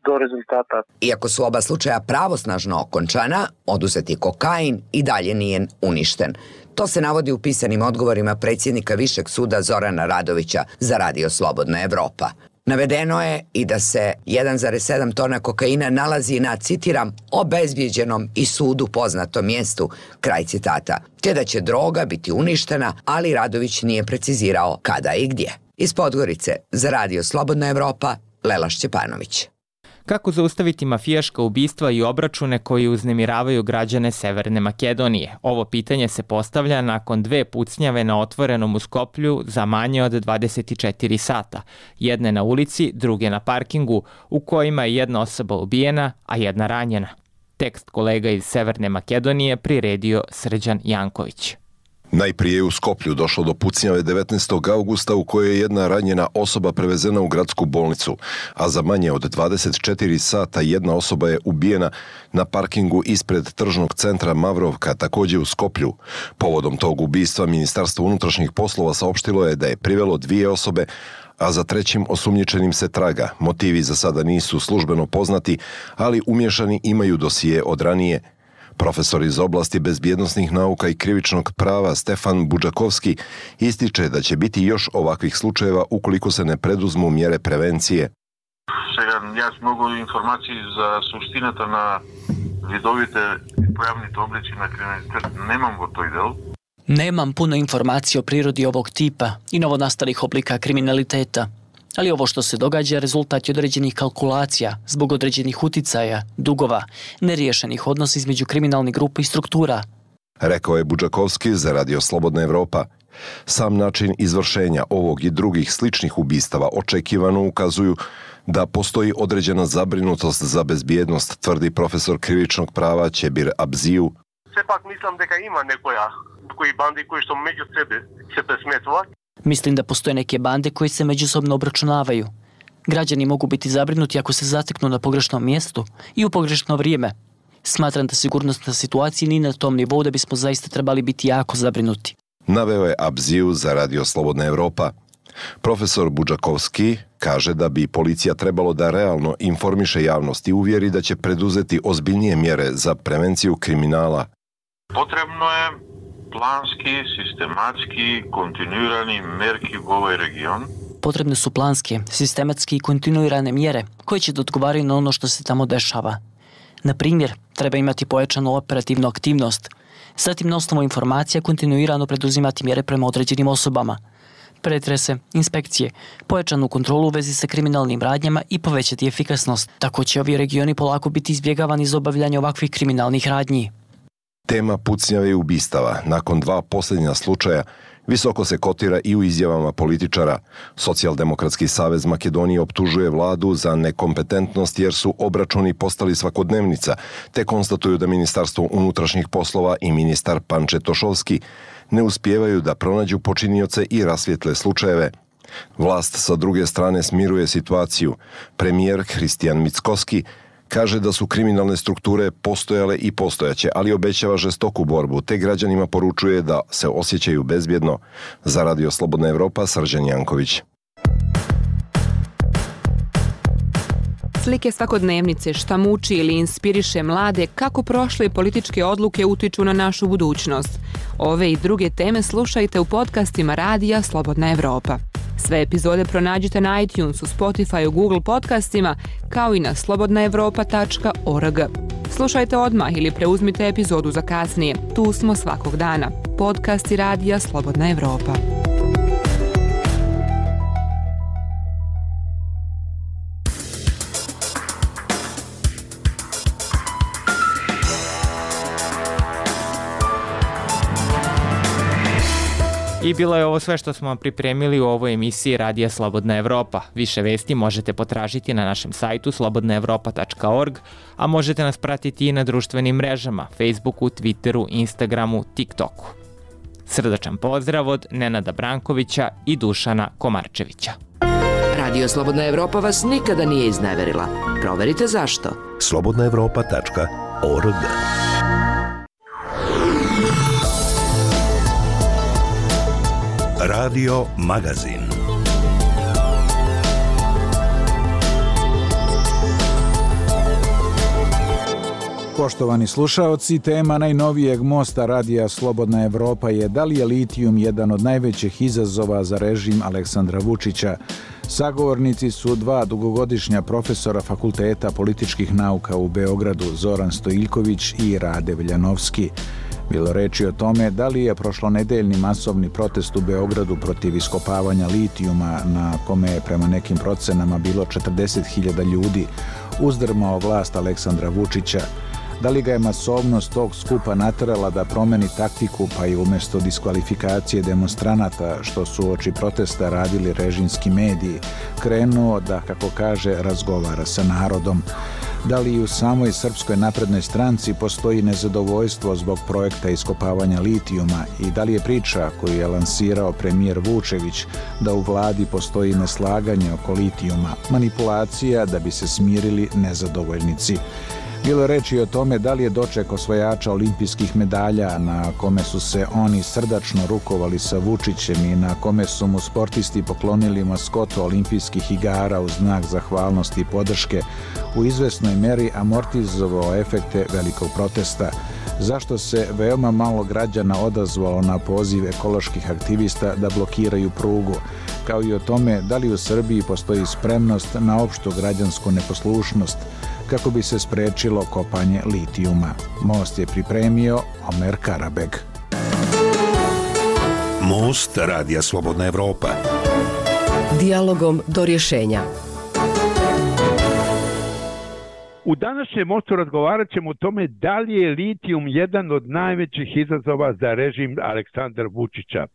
do rezultata. Iako su oba slučaja pravosnažno okončana, oduzeti kokain i dalje nije uništen. To se navodi u pisanim odgovorima predsjednika Višeg suda Zorana Radovića za Radio Slobodna Evropa. Navedeno je i da se jedan zarez sedam tona kokaina nalazi na, citiram, obezbijeđenom i sudu poznatom mjestu, kraj citata, te da će droga biti uništena, ali Radović nije precizirao kada i gdje. Iz Podgorice za Radio Slobodna Evropa, Lela Šćepanović. Kako zaustaviti mafijaška ubistva i obračune koji uznemiravaju građane Severne Makedonije? Ovo pitanje se postavlja nakon dve pucnjave na otvorenom u Skoplju za manje od dvadeset četiri sata. Jedne na ulici, druge na parkingu, u kojima je jedna osoba ubijena, a jedna ranjena. Tekst kolega iz Severne Makedonije priredio Srđan Janković. Najprije je u Skoplju došlo do pucnjave devetnaestog avgusta u kojoj je jedna ranjena osoba prevezena u gradsku bolnicu, a za manje od dvadeset četiri sata jedna osoba je ubijena na parkingu ispred tržnog centra Mavrovka, također u Skoplju. Povodom tog ubistva Ministarstvo unutrašnjih poslova saopštilo je da je privelo dvije osobe, a za trećim osumnjičenim se traga. Motivi za sada nisu službeno poznati, ali umješani imaju dosije od ranije. Profesor iz oblasti bezbjednosnih nauka i krivičnog prava Stefan Budžakovski ističe da će biti još ovakvih slučajeva ukoliko se ne preduzmu mjere prevencije. Сега, јас многу информации за суштината на видовите појавните облици на криминалитет немам во тој дел. Nemam puno informacija o prirodi ovog tipa i novonastalih oblika kriminaliteta, ali ovo što se događa rezultat je određenih kalkulacija zbog određenih uticaja, dugova, neriješenih odnosa između kriminalnih grupa i struktura. Rekao je Budžakovski za Radio Slobodna Evropa. Sam način izvršenja ovog i drugih sličnih ubistava očekivano ukazuju da postoji određena zabrinutost za bezbjednost, tvrdi profesor krivičnog prava Ćebir Abziju. Сепак мислам дека има некоја кои банди кои што меѓу себе се пресметуваат. Mislim da postoje neke bande koje se međusobno obračunavaju. Građani mogu biti zabrinuti ako se zateknu na pogrešnom mjestu i u pogrešno vrijeme. Smatram da sigurnosna situacija nije na tom nivou da bismo zaista trebali biti jako zabrinuti. Naveo je Abziju za Radio Slobodna Evropa. Profesor Budžakovski kaže da bi policija trebalo da realno informiše javnost i uvjeri da će preduzeti ozbiljnije mjere za prevenciju kriminala. Potrebno je planski, sistematski, kontinuirani merki u ovaj region. Potrebne su planske, sistematske i kontinuirane mjere koje će da odgovaraju na ono što se tamo dešava. Na primjer, treba imati pojačanu operativnu aktivnost, zatim na osnovu informacija kontinuirano preduzimati mjere prema određenim osobama, pretrese, inspekcije, pojačanu kontrolu u vezi sa kriminalnim radnjama i povećati efikasnost. Tako će ovi regioni polako biti izbjegavani za obavljanje ovakvih kriminalnih radnji. Tema pucnjave i ubistava nakon dva posljednja slučaja visoko se kotira i u izjavama političara. Socijaldemokratski savez Makedonije optužuje vladu za nekompetentnost jer su obračuni postali svakodnevnica, te konstatuju da Ministarstvo unutrašnjih poslova i ministar Panče Tošovski ne uspijevaju da pronađu počinioce i rasvijetle slučajeve. Vlast sa druge strane smiruje situaciju. Premijer Hristijan Mickoski kaže da su kriminalne strukture postojale i postojaće, ali obećava žestoku borbu, te građanima poručuje da se osjećaju bezbjedno. Za Radio Slobodna Evropa, Srđan Janković. Slike svakodnevnice, šta muči ili inspiriše mlade, kako prošle političke odluke utiču na našu budućnost. Ove i druge teme slušajte u podcastima Radija Slobodna Evropa. Sve epizode pronađite na iTunesu, Spotifyu, Google podcastima, kao i na slobodna evropa tačka org. Slušajte odmah ili preuzmite epizodu za kasnije. Tu smo svakog dana. Podcasti Radija Slobodna Evropa. I bilo je ovo sve što smo vam pripremili u ovoj emisiji Radija Slobodna Evropa. Više vesti možete potražiti na našem sajtu slobodna evropa tačka org, a možete nas pratiti i na društvenim mrežama, Facebooku, Twitteru, Instagramu, TikToku. Srdačan pozdrav od Nenada Brankovića i Dušana Komarčevića. Radio Slobodna Evropa vas nikada nije izneverila. Proverite zašto. slobodna evropa tačka org. Radio Magazin. Poštovani slušaoci, tema najnovijeg mosta Radija Slobodna Evropa je da li je litijum jedan od najvećih izazova za režim Aleksandra Vučića. Sagovornici su dva dugogodišnja profesora Fakulteta političkih nauka u Beogradu, Zoran Stojiljković i Rade Veljanovski. Bilo reči o tome da li je prošlonedeljni masovni protest u Beogradu protiv iskopavanja litijuma, na kome je prema nekim procenama bilo četrdeset hiljada ljudi, uzdrmao vlast Aleksandra Vučića. Da li ga je masovnost tog skupa naterala da promeni taktiku, pa i umjesto diskvalifikacije demonstranata, što su oči protesta radili režimski mediji, krenuo da, kako kaže, razgovara sa narodom. Da li i u samoj Srpskoj naprednoj stranci postoji nezadovoljstvo zbog projekta iskopavanja litijuma i da li je priča koju je lansirao premijer Vučević da u vladi postoji neslaganje oko litijuma, manipulacija da bi se smirili nezadovoljnici. Bilo je reči o tome da li je doček osvajača olimpijskih medalja na kome su se oni srdačno rukovali sa Vučićem i na kome su mu sportisti poklonili maskotu olimpijskih igara u znak zahvalnosti i podrške, u izvesnoj meri amortizovao efekte velikog protesta. Zašto se veoma malo građana odazvalo na poziv ekoloških aktivista da blokiraju prugu, kao i o tome da li u Srbiji postoji spremnost na opštu građansku neposlušnost kako bi se sprečilo kopanje litijuma. Most je pripremio Omer Karabeg. Most Radija Slobodna Evropa. Dijalogom do rješenja. U današnjem mostu razgovarat ćemo o tome da li je litijum jedan od najvećih izazova za režim Aleksandra Vučića.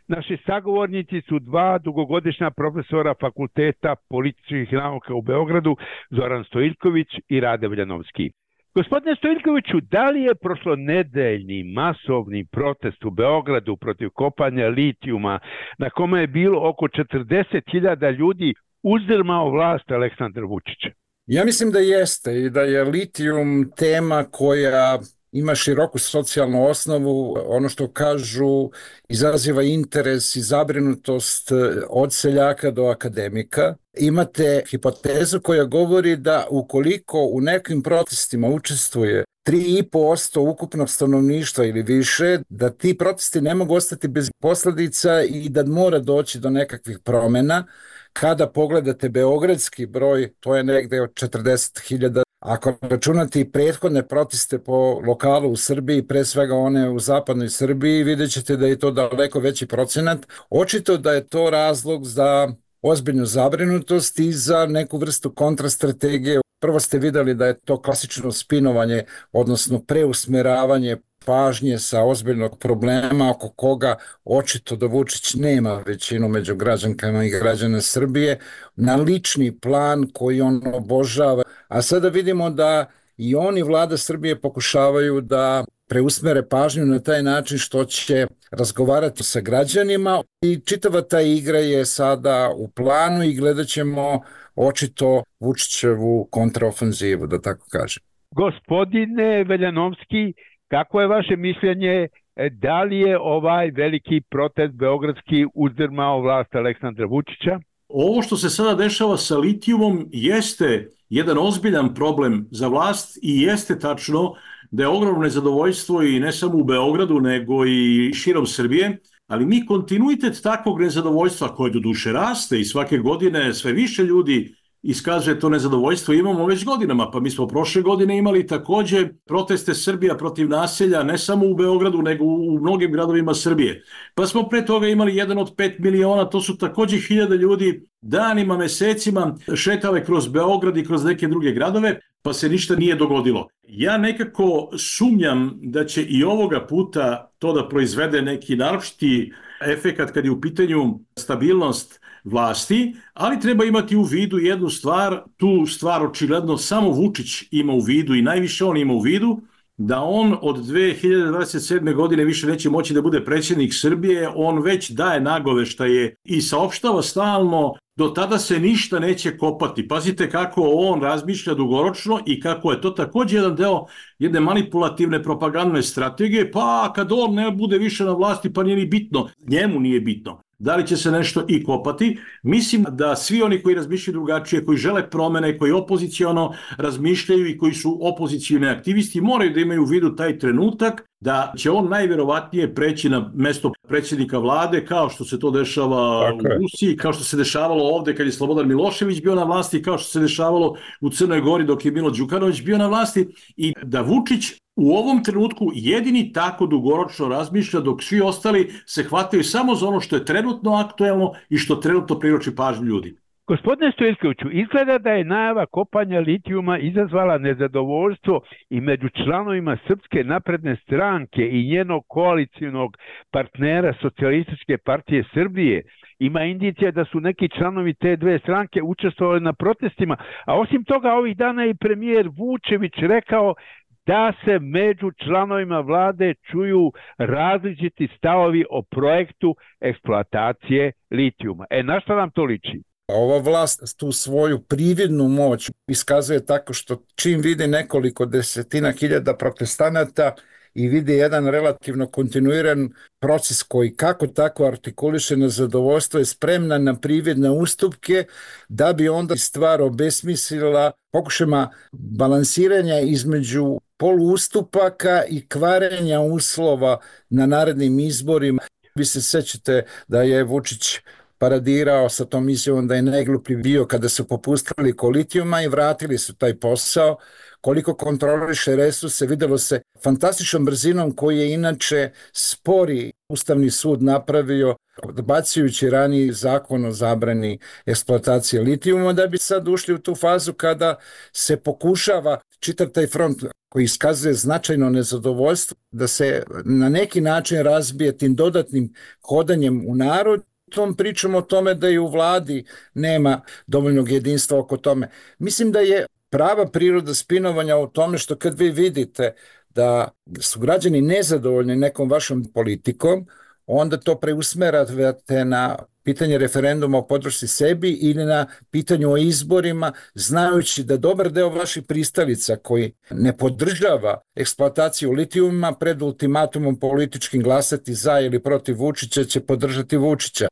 Naši sagovornici su dva dugogodišnja profesora Fakulteta političkih nauka u Beogradu, Zoran Stojiljković i Rade Veljanovski. Gospodine Stojiljkoviću, da li je prošlonedeljni masovni protest u Beogradu protiv kopanja litijuma, na kome je bilo oko četrdeset hiljada ljudi, uzdrmao vlast Aleksandra Vučića? Ja mislim da jeste i da je litijum tema koja ima široku socijalnu osnovu, ono što kažu izaziva interes i zabrinutost od seljaka do akademika. Imate hipotezu koja govori da ukoliko u nekim protestima učestvuje tri i po posto ukupnog stanovništva ili više, da ti protesti ne mogu ostati bez posljedica i da mora doći do nekakvih promjena. Kada pogledate beogradski broj, to je negde od četrdeset hiljada. Ako računate i prethodne proteste po lokalu u Srbiji, pre svega one u zapadnoj Srbiji, vidjet ćete da je to daleko veći procenat. Očito da je to razlog za ozbiljnu zabrinutost i za neku vrstu kontrastrategije. Prvo ste vidjeli da je to klasično spinovanje, odnosno preusmeravanje pažnje sa ozbiljnog problema oko koga očito da Vučić nema većinu među građankama i građana Srbije, na lični plan koji on obožava. A sada vidimo da i oni, vlada Srbije, pokušavaju da preusmere pažnju na taj način što će razgovarati sa građanima i čitava ta igra je sada u planu i gledat ćemo očito Vučićevu kontraofenzivu, da tako kažem. Gospodine Veljanovski, kako je vaše mišljenje, da li je ovaj veliki protest beogradski uzdrmao vlast Aleksandra Vučića? Ovo što se sada dešava sa litijumom jeste jedan ozbiljan problem za vlast i jeste tačno da je ogromno nezadovoljstvo i ne samo u Beogradu nego i širom Srbije, ali mi kontinuitet takvog nezadovoljstva koje do duše raste i svake godine sve više ljudi iskazuje to nezadovoljstvo, imamo već godinama. Pa mi smo prošle godine imali takođe proteste Srbija protiv naselja, ne samo u Beogradu, nego u mnogim gradovima Srbije. Pa smo pre toga imali jedan od pet miliona, to su takođe hiljade ljudi danima, mesecima šetale kroz Beograd i kroz neke druge gradove, pa se ništa nije dogodilo. Ja nekako sumnjam da će i ovoga puta to da proizvede neki naročiti efekat kad je u pitanju stabilnost vlasti, ali treba imati u vidu jednu stvar, tu stvar očigledno samo Vučić ima u vidu i najviše on ima u vidu, da on od dve hiljade dvadeset sedme. godine više neće moći da bude predsjednik Srbije, on već daje nagoveštaje i saopštava stalno, do tada se ništa neće kopati. Pazite kako on razmišlja dugoročno i kako je to također jedan deo jedne manipulativne propagandne strategije, pa kad on ne bude više na vlasti pa nije ni bitno, njemu nije bitno. Da li će se nešto i kopati? Mislim da svi oni koji razmišljaju drugačije, koji žele promene, koji opoziciono razmišljaju i koji su opozicijni aktivisti, moraju da imaju u vidu taj trenutak da će on najvjerovatnije preći na mesto predsjednika vlade, kao što se to dešava Tako u Rusiji, kao što se dešavalo ovde kad je Slobodan Milošević bio na vlasti, kao što se dešavalo u Crnoj Gori dok je Milo Đukanović bio na vlasti, i da Vučić u ovom trenutku jedini tako dugoročno razmišlja, dok svi ostali se hvataju samo za ono što je trenutno aktuelno i što trenutno privlači pažnju ljudi. Gospodine Stojilkoviću, izgleda da je najava kopanja litijuma izazvala nezadovoljstvo i među članovima Srpske napredne stranke i njenog koalicijnog partnera Socijalističke partije Srbije. Ima indicija da su neki članovi te dve stranke učestvovali na protestima, a osim toga ovih dana je premijer Vučević rekao da se među članovima vlade čuju različiti stavovi o projektu eksploatacije litijuma. E, na šta nam to liči? Ova vlast tu svoju prividnu moć iskazuje tako što čim vidi nekoliko desetina hiljada protestanata i vidi jedan relativno kontinuiran proces koji kako tako artikuliše nezadovoljstvo, je spremna na prividne ustupke da bi onda stvar obesmislila pokušajima balansiranja između poluustupaka i kvarenja uslova na narednim izborima. Vi se sećate da je Vučić paradirao sa tom izjavom da je najgluplji bio kada su popustili oko litijuma i vratili su taj posao. Koliko kontroliše resurse, videlo se fantastičnom brzinom koji je inače spori Ustavni sud napravio, odbacujući raniji zakon o zabrani eksploatacije litijuma, da bi sad ušli u tu fazu kada se pokušava čitav taj front koji iskazuje značajno nezadovoljstvo da se na neki način razbije tim dodatnim hodanjem u narod. Tom pričam o tome da i u vladi nema dovoljnog jedinstva oko tome. Mislim da je prava priroda spinovanja u tome što kad vi vidite da su građani nezadovoljni nekom vašom politikom, onda to preusmeravate na pitanje referenduma o podršci sebi ili na pitanju o izborima, znajući da dobar deo vaših pristalica koji ne podržava eksploataciju litijuma pred ultimatumom političkim glasati za ili protiv Vučića će podržati Vučića.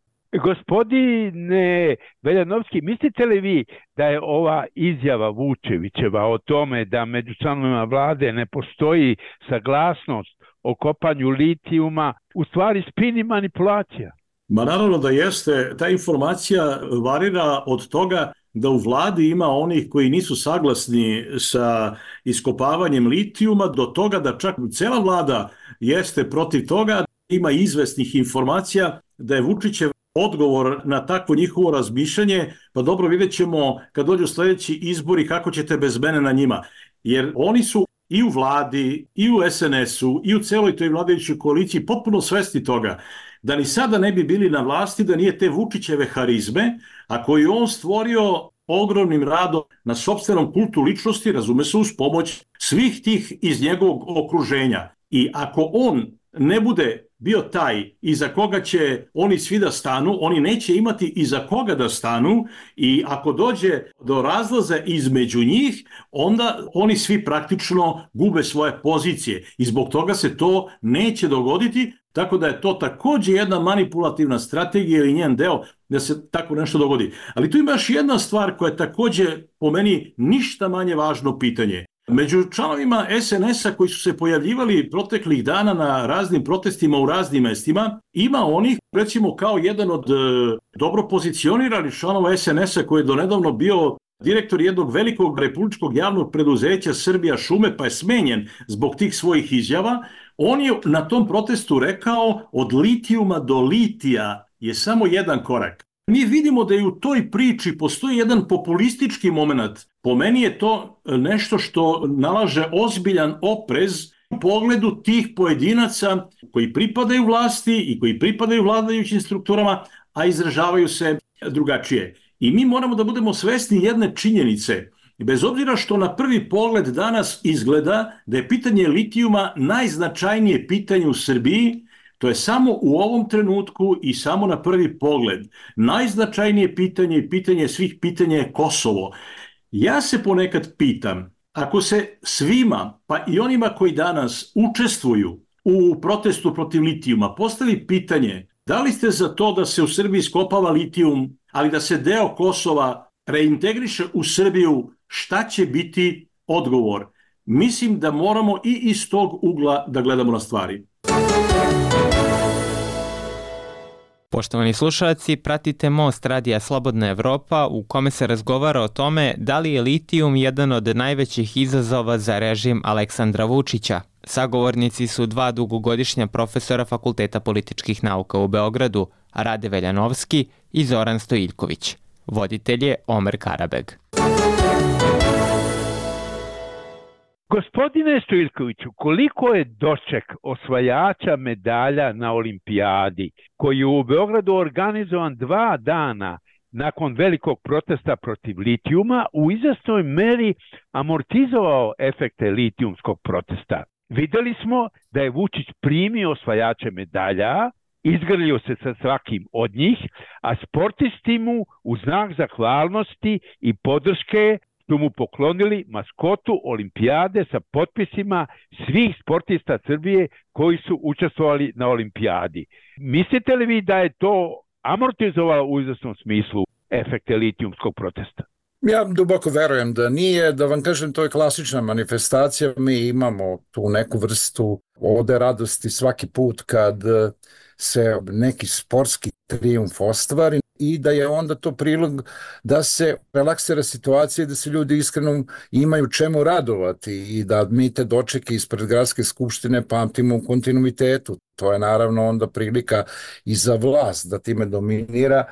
Gospodine Veljanovski, mislite li vi da je ova izjava Vučevićeva o tome da među članovima vlade ne postoji saglasnost o kopanju litijuma u stvari spin i manipulacija? Ma naravno da jeste. Ta informacija varira od toga da u vladi ima onih koji nisu saglasni sa iskopavanjem litijuma, do toga da čak cela vlada jeste protiv toga. Ima izvesnih informacija da je Vučićev odgovor na takvo njihovo razmišljanje, pa dobro, vidjet ćemo kad dođu sljedeći izbori kako ćete bez mene na njima. Jer oni su i u vladi, i u es en esu, i u celoj toj vladajućoj koaliciji potpuno svesni toga da ni sada ne bi bili na vlasti da nije te Vučićeve harizme, a koju on stvorio ogromnim radom na sopstvenom kultu ličnosti, razume se, uz pomoć svih tih iz njegovog okruženja. I ako on ne bude bio taj iza koga će oni svi da stanu, oni neće imati iza koga da stanu, i ako dođe do razlaza između njih, onda oni svi praktično gube svoje pozicije i zbog toga se to neće dogoditi, tako da je to također jedna manipulativna strategija ili njen deo da se tako nešto dogodi. Ali tu ima još jedna stvar koja je također po meni ništa manje važno pitanje. Među članovima es en esa koji su se pojavljivali proteklih dana na raznim protestima u raznim mestima, ima onih, recimo kao jedan od e, dobro pozicioniranih članova es en esa koji je donedavno bio direktor jednog velikog republičkog javnog preduzeća Srbija šume, pa je smenjen zbog tih svojih izjava. On je na tom protestu rekao od litijuma do litija je samo jedan korak. Mi vidimo da i u toj priči postoji jedan populistički moment. Po meni je to nešto što nalaže ozbiljan oprez u pogledu tih pojedinaca koji pripadaju vlasti i koji pripadaju vladajućim strukturama, a izražavaju se drugačije. I mi moramo da budemo svesni jedne činjenice. Bez obzira što na prvi pogled danas izgleda da je pitanje litijuma najznačajnije pitanje u Srbiji, to je samo u ovom trenutku i samo na prvi pogled. Najznačajnije pitanje i pitanje svih pitanja je Kosovo. Ja se ponekad pitam, ako se svima, pa i onima koji danas učestvuju u protestu protiv litijuma, postavi pitanje da li ste za to da se u Srbiji iskopava litijum, ali da se deo Kosova reintegriše u Srbiju, šta će biti odgovor? Mislim da moramo i iz tog ugla da gledamo na stvari. Poštovani slušalci, pratite Most Radija Slobodna Evropa u kome se razgovara o tome da li je litijum jedan od najvećih izazova za režim Aleksandra Vučića. Sagovornici su dva dugogodišnja profesora Fakulteta političkih nauka u Beogradu, Rade Veljanovski i Zoran Stojiljković. Voditelj je Omer Karabeg. Gospodine Stojiljkoviću, koliko je doček osvajača medalja na olimpijadi, koji je u Beogradu organizovan dva dana nakon velikog protesta protiv litijuma, u izvesnoj meri amortizovao efekte litijumskog protesta? Videli smo da je Vučić primio osvajače medalja, izgrlio se sa svakim od njih, a sportisti mu u znak zahvalnosti i podrške su mu poklonili maskotu olimpijade sa potpisima svih sportista Srbije koji su učestvovali na olimpijadi. Mislite li vi da je to amortizovalo u izvesnom smislu efekte litijumskog protesta? Ja duboko verujem da nije, da vam kažem, to je klasična manifestacija. Mi imamo tu neku vrstu ode radosti svaki put kad se neki sportski trijumf ostvari i da je onda to prilog da se relaksira situacija i da se ljudi iskreno imaju čemu radovati i da mi te dočeke ispred Gradske skupštine pamtimo u kontinuitetu. To je naravno onda prilika i za vlast da time dominira.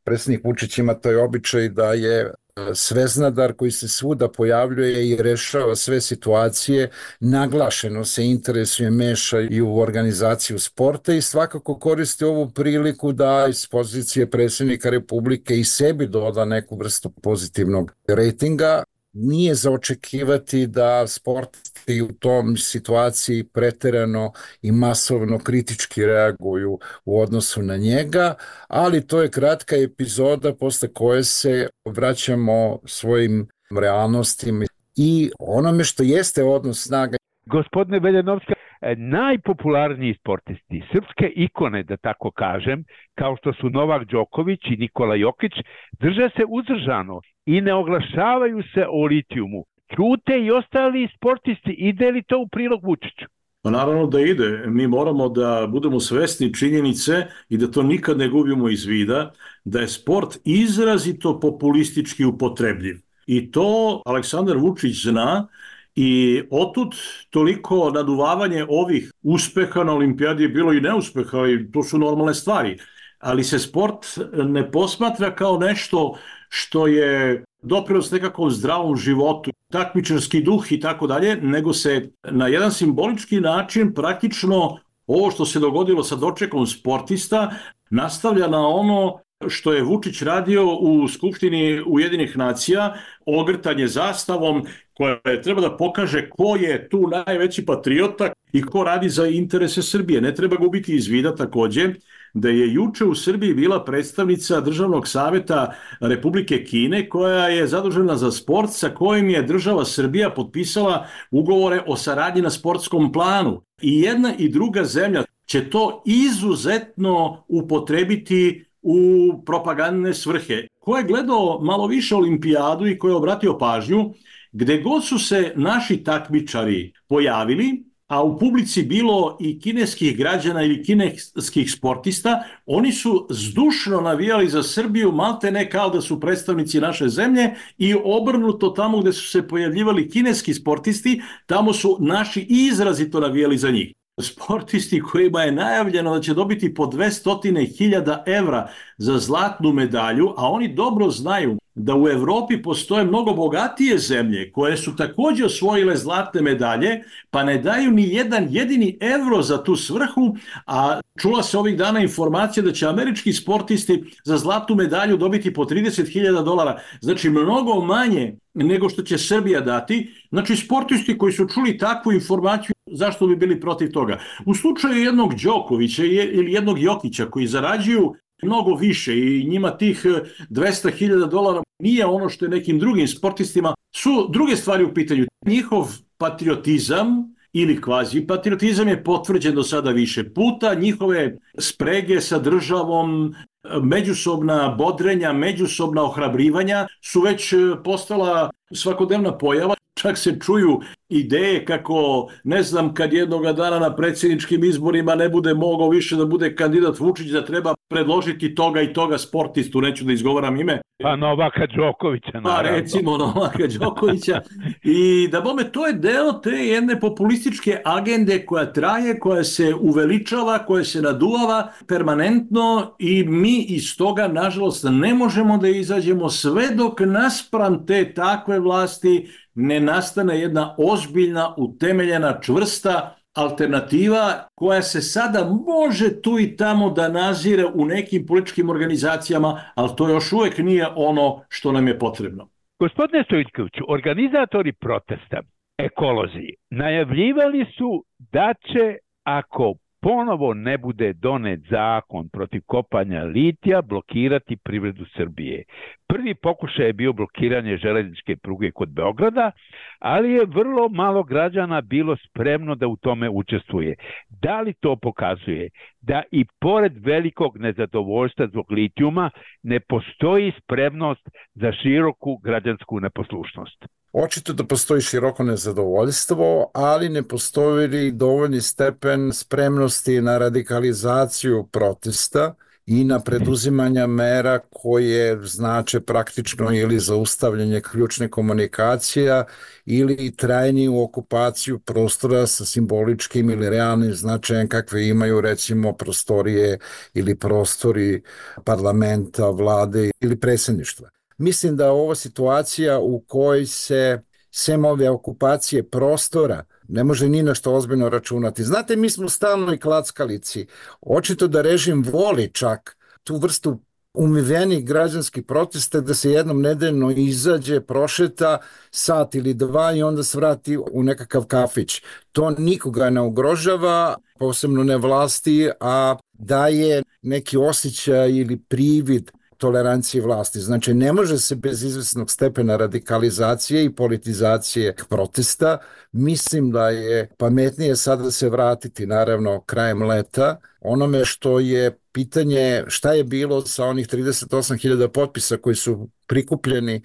Predsjednik Vučić ima taj običaj da je sveznadar koji se svuda pojavljuje i rešava sve situacije, naglašeno se interesuje, meša i u organizaciju sporta i svakako koristi ovu priliku da iz pozicije predsjednika Republike i sebi doda neku vrstu pozitivnog rejtinga. Nije za očekivati da sportisti u tom situaciji preterano i masovno kritički reaguju u odnosu na njega, ali to je kratka epizoda posle koje se vraćamo svojim realnostima i onome što jeste odnos snaga. Gospodine Veljanovski, najpopularniji sportisti, srpske ikone, da tako kažem, kao što su Novak Đoković i Nikola Jokić, drže se uzdržano i ne oglašavaju se o litijumu. Ćute i ostali sportisti. Ide li to u prilog Vučiću? Pa naravno da ide. Mi moramo da budemo svesni činjenice i da to nikad ne gubimo iz vida, da je sport izrazito populistički upotrebljiv. I to Aleksandar Vučić zna. I otud toliko naduvavanje ovih uspeha na olimpijadi je bilo i neuspeha i to su normalne stvari. Ali se sport ne posmatra kao nešto što je doprinos nekakvom zdravom životu, takmičarski duh i tako dalje, nego se na jedan simbolički način praktično ovo što se dogodilo sa dočekom sportista nastavlja na ono što je Vučić radio u Skupštini Ujedinjenih nacija, ogrtanje zastavom koja treba da pokaže ko je tu najveći patriota i ko radi za interese Srbije. Ne treba gubiti iz vida takođe da je juče u Srbiji bila predstavnica Državnog saveta Republike Kine koja je zadužena za sport sa kojim je država Srbija potpisala ugovore o saradnji na sportskom planu. I jedna i druga zemlja će to izuzetno upotrebiti u propagandne svrhe. Ko je gledao malo više olimpijadu i ko je obratio pažnju, gde god su se naši takmičari pojavili, a u publici bilo i kineskih građana ili kineskih sportista, oni su zdušno navijali za Srbiju, malte ne kao da su predstavnici naše zemlje, i obrnuto tamo gde su se pojavljivali kineski sportisti, tamo su naši izrazito navijali za njih. Sportisti kojima je najavljeno da će dobiti po dvesta hiljada evra za zlatnu medalju, a oni dobro znaju da u Evropi postoje mnogo bogatije zemlje koje su također osvojile zlatne medalje, pa ne daju ni jedan jedini evro za tu svrhu, a čula se ovih dana informacija da će američki sportisti za zlatnu medalju dobiti po trideset hiljada dolara, znači mnogo manje nego što će Srbija dati. Znači sportisti koji su čuli takvu informaciju, zašto bi bili protiv toga? U slučaju jednog Đokovića ili jednog Jokića koji zarađuju mnogo više i njima tih dvesta hiljada dolara nije ono što je nekim drugim sportistima, su druge stvari u pitanju. Njihov patriotizam ili kvazi patriotizam je potvrđen do sada više puta, njihove sprege sa državom, međusobna bodrenja, međusobna ohrabrivanja su već postala svakodnevna pojava. Čak se čuju ideje kako, ne znam, kad jednoga dana na predsjedničkim izborima ne bude mogao više da bude kandidat Vučić, da treba predložiti toga i toga sportistu, neću da izgovaram ime. Pa Novaka Đokovića, naravno. Pa recimo Novaka Đokovića. I da bome, to je deo te jedne populističke agende koja traje, koja se uveličava, koja se naduvava permanentno i mi iz toga, nažalost, ne možemo da izađemo sve dok naspram te takve vlasti ne nastane jedna ozbiljna, utemeljena, čvrsta alternativa koja se sada može tu i tamo da nazire u nekim političkim organizacijama, ali to još uvek nije ono što nam je potrebno. Gospodine Stojkoviću, organizatori protesta, ekolozi, najavljivali su da će, ako ponovo ne bude donet zakon protiv kopanja litija, blokirati privredu Srbije. Prvi pokušaj je bio blokiranje železničke pruge kod Beograda, ali je vrlo malo građana bilo spremno da u tome učestvuje. Da li to pokazuje da i pored velikog nezadovoljstva zbog litijuma ne postoji spremnost za široku građansku neposlušnost? Očito da postoji široko nezadovoljstvo, ali ne postoji dovoljni stepen spremnosti na radikalizaciju protesta i na preduzimanja mera koje znače praktično ili zaustavljanje ključne komunikacija ili trajniju okupaciju prostora sa simboličkim ili realnim značajem kakve imaju recimo prostorije ili prostori parlamenta, vlade ili predsjedništva. Mislim da ova situacija u kojoj se sem ove okupacije prostora ne može ni na što ozbiljno računati. Znate, mi smo stalno i klackalici. Očito da režim voli čak tu vrstu umivenih građanskih protesta da se jednom nedeljno izađe, prošeta sat ili dva i onda se vrati u nekakav kafić. To nikoga ne ugrožava, posebno ne vlasti, a daje neki osjećaj ili privid tolerancije vlasti. Znači, ne može se bez izvesnog stepena radikalizacije i politizacije protesta. Mislim da je pametnije sada se vratiti, naravno, krajem leta, onome što je pitanje šta je bilo sa onih trideset osam hiljada potpisa koji su prikupljeni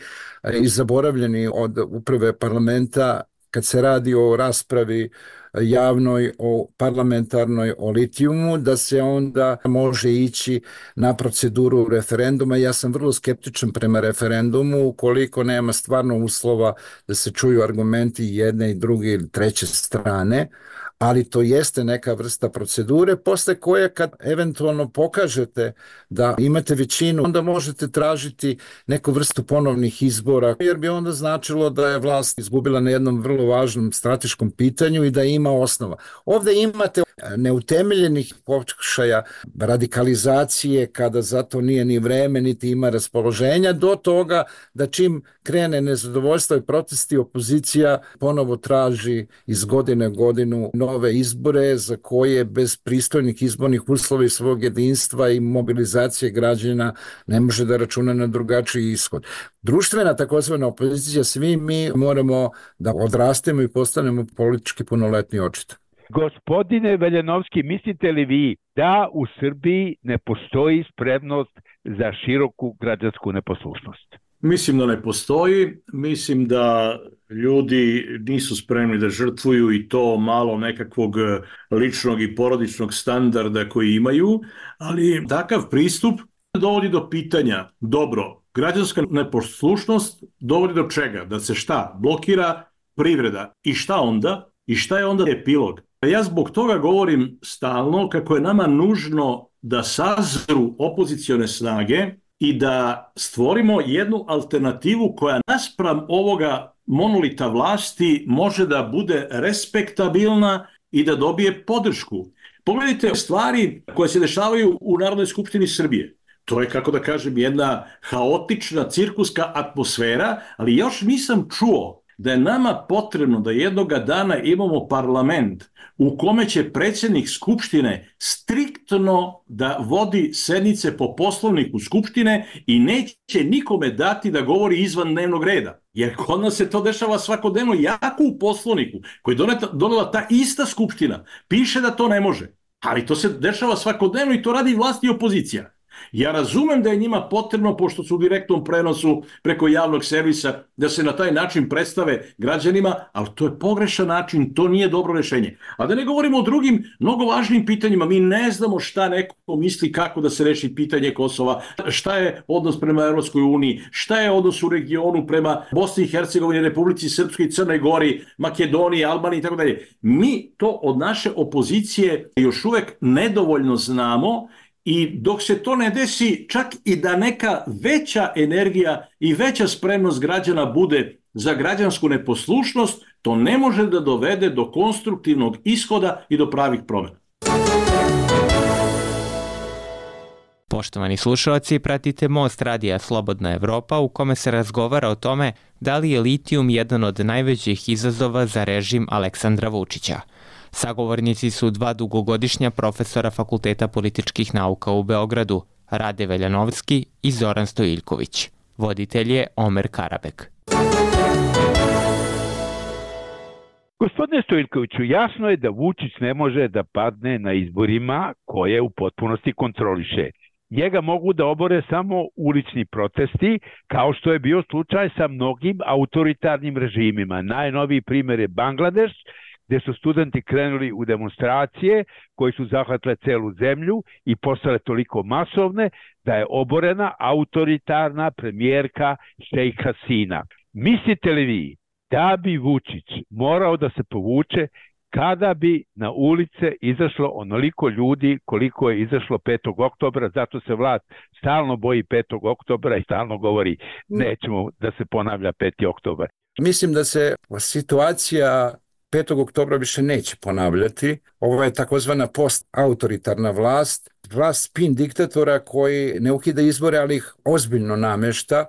i zaboravljeni od uprave parlamenta kad se radi o raspravi javnoj, o parlamentarnoj, o litijumu, da se onda može ići na proceduru referenduma. Ja sam vrlo skeptičan prema referendumu ukoliko nema stvarno uslova da se čuju argumenti jedne i druge ili treće strane, ali to jeste neka vrsta procedure posle koje kad eventualno pokažete da imate većinu, onda možete tražiti neku vrstu ponovnih izbora, jer bi onda značilo da je vlast izgubila na jednom vrlo važnom strateškom pitanju i da ima osnova. Ovde imate neutemeljenih pokušaja radikalizacije kada zato nije ni vreme, niti ima raspoloženja, do toga da čim krene nezadovoljstvo i protesti, opozicija ponovo traži iz godine u godinu nove izbore za koje bez pristojnih izbornih uslova i svog jedinstva i mobilizacije građana ne može da računa na drugačiji ishod. Društvena takozvana opozicija, svi mi moramo da odrastemo i postanemo politički punoletni očito. Gospodine Veljanovski, mislite li vi da u Srbiji ne postoji spremnost za široku građansku neposlušnost? Mislim da ne postoji, mislim da ljudi nisu spremni da žrtvuju i to malo nekakvog ličnog i porodičnog standarda koji imaju, ali takav pristup dovodi do pitanja, dobro, građanska neposlušnost dovodi do čega? Da se šta? Blokira privreda. I šta onda? I šta je onda epilog? Ja zbog toga govorim stalno kako je nama nužno da sazru opozicione snage i da stvorimo jednu alternativu koja naspram ovoga monolita vlasti može da bude respektabilna i da dobije podršku. Pogledajte stvari koje se dešavaju u Narodnoj skupštini Srbije. To je, kako da kažem, jedna haotična cirkuska atmosfera, ali još nisam čuo da je nama potrebno da jednoga dana imamo parlament u kome će predsjednik Skupštine striktno da vodi sednice po poslovniku Skupštine i neće nikome dati da govori izvan dnevnog reda. Jer kod nas se to dešava svakodnevno, jako u poslovniku koji je donela ta ista Skupština. Piše da to ne može, ali to se dešava svakodnevno i to radi vlast i opozicija. Ja razumem da je njima potrebno, pošto su u direktnom prenosu preko javnog servisa, da se na taj način predstave građanima, ali to je pogrešan način, to nije dobro rešenje. A da ne govorimo o drugim mnogo važnim pitanjima, mi ne znamo šta neko misli kako da se reši pitanje Kosova, šta je odnos prema Evropskoj uniji, šta je odnos u regionu prema Bosni i Hercegovini, Republici Srpskoj i Crnoj Gori, Makedoniji, Albaniji i tako dalje. Mi to od naše opozicije još uvek nedovoljno znamo. I dok se to ne desi, čak i da neka veća energija i veća spremnost građana bude za građansku neposlušnost, to ne može da dovede do konstruktivnog ishoda i do pravih promjena. Poštovani slušalci, pratite Most radija Slobodna Evropa u kome se razgovara o tome da li je litijum jedan od najvećih izazova za režim Aleksandra Vučića. Sagovornici su dva dugogodišnja profesora Fakulteta političkih nauka u Beogradu, Rade Veljanovski i Zoran Stojiljković. Voditelj je Omer Karabek. Gospodine Stojiljkoviću, jasno je da Vučić ne može da padne na izborima koje u potpunosti kontroliše. Njega mogu da obore samo ulični protesti, kao što je bio slučaj sa mnogim autoritarnim režimima. Najnoviji primjer je Bangladeš, gdje su studenti krenuli u demonstracije koji su zahvatile celu zemlju i postale toliko masovne da je oborena autoritarna premijerka Šejh Hasina. Mislite li vi da bi Vučić morao da se povuče kada bi na ulice izašlo onoliko ljudi koliko je izašlo petog oktobra, zato se vlast stalno boji petog oktobra i stalno govori nećemo da se ponavlja peti oktobar. Mislim da se situacija petog oktobra više neće ponavljati. Ovo je takozvana post-autoritarna vlast, vlast spin diktatora koji ne ukida izbore, ali ih ozbiljno namešta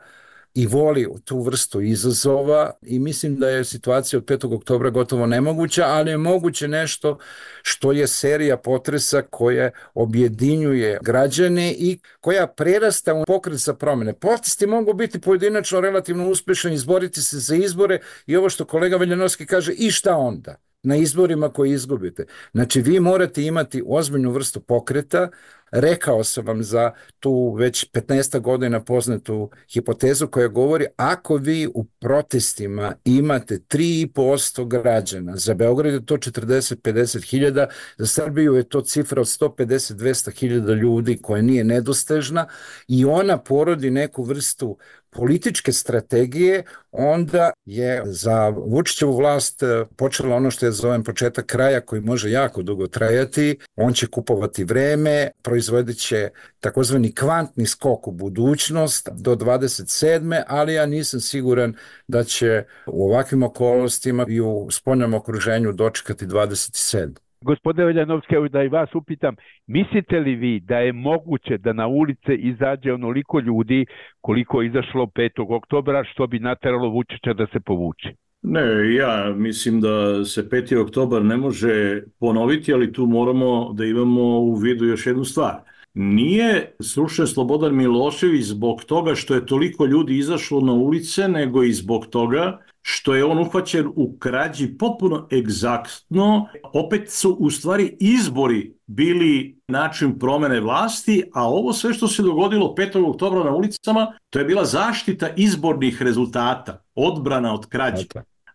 i voli tu vrstu izazova i mislim da je situacija od petog oktobra gotovo nemoguća, ali je moguće nešto što je serija potresa koja objedinjuje građane i koja prerasta u pokret za promjene. Protesti mogu biti pojedinačno relativno uspješni, izboriti se za izbore i ovo što kolega Veljanovski kaže, i šta onda? Na izborima koji izgubite. Znači vi morate imati ozbiljnu vrstu pokreta. Rekao sam vam za tu već petnaest godina poznatu hipotezu koja govori ako vi u protestima imate tri i po posto građana, za Beograd je to četrdeset do pedeset hiljada, za Srbiju je to cifra od sto pedeset do dvesta hiljada ljudi koja nije nedostežna i ona porodi neku vrstu političke strategije, onda je za Vučićevu vlast počelo ono što je zovem početak kraja koji može jako dugo trajati. On će kupovati vreme, proizvodit će takozvani kvantni skok u budućnost do dvadeset sedme ali ja nisam siguran da će u ovakvim okolnostima i u spoljnom okruženju dočekati dvadeset sedme. Gospodine Veljanovski, evo da i vas upitam, mislite li vi da je moguće da na ulice izađe onoliko ljudi koliko je izašlo petog oktobra, što bi nateralo Vučića da se povuče? Ne, ja mislim da se peti oktobar ne može ponoviti, ali tu moramo da imamo u vidu još jednu stvar. Nije srušen Slobodan Milošević zbog toga što je toliko ljudi izašlo na ulice, nego i zbog toga što je on uhvaćen u krađi potpuno egzaktno. Opet su u stvari izbori bili način promene vlasti, a ovo sve što se dogodilo petog oktobra na ulicama, to je bila zaštita izbornih rezultata, odbrana od krađe.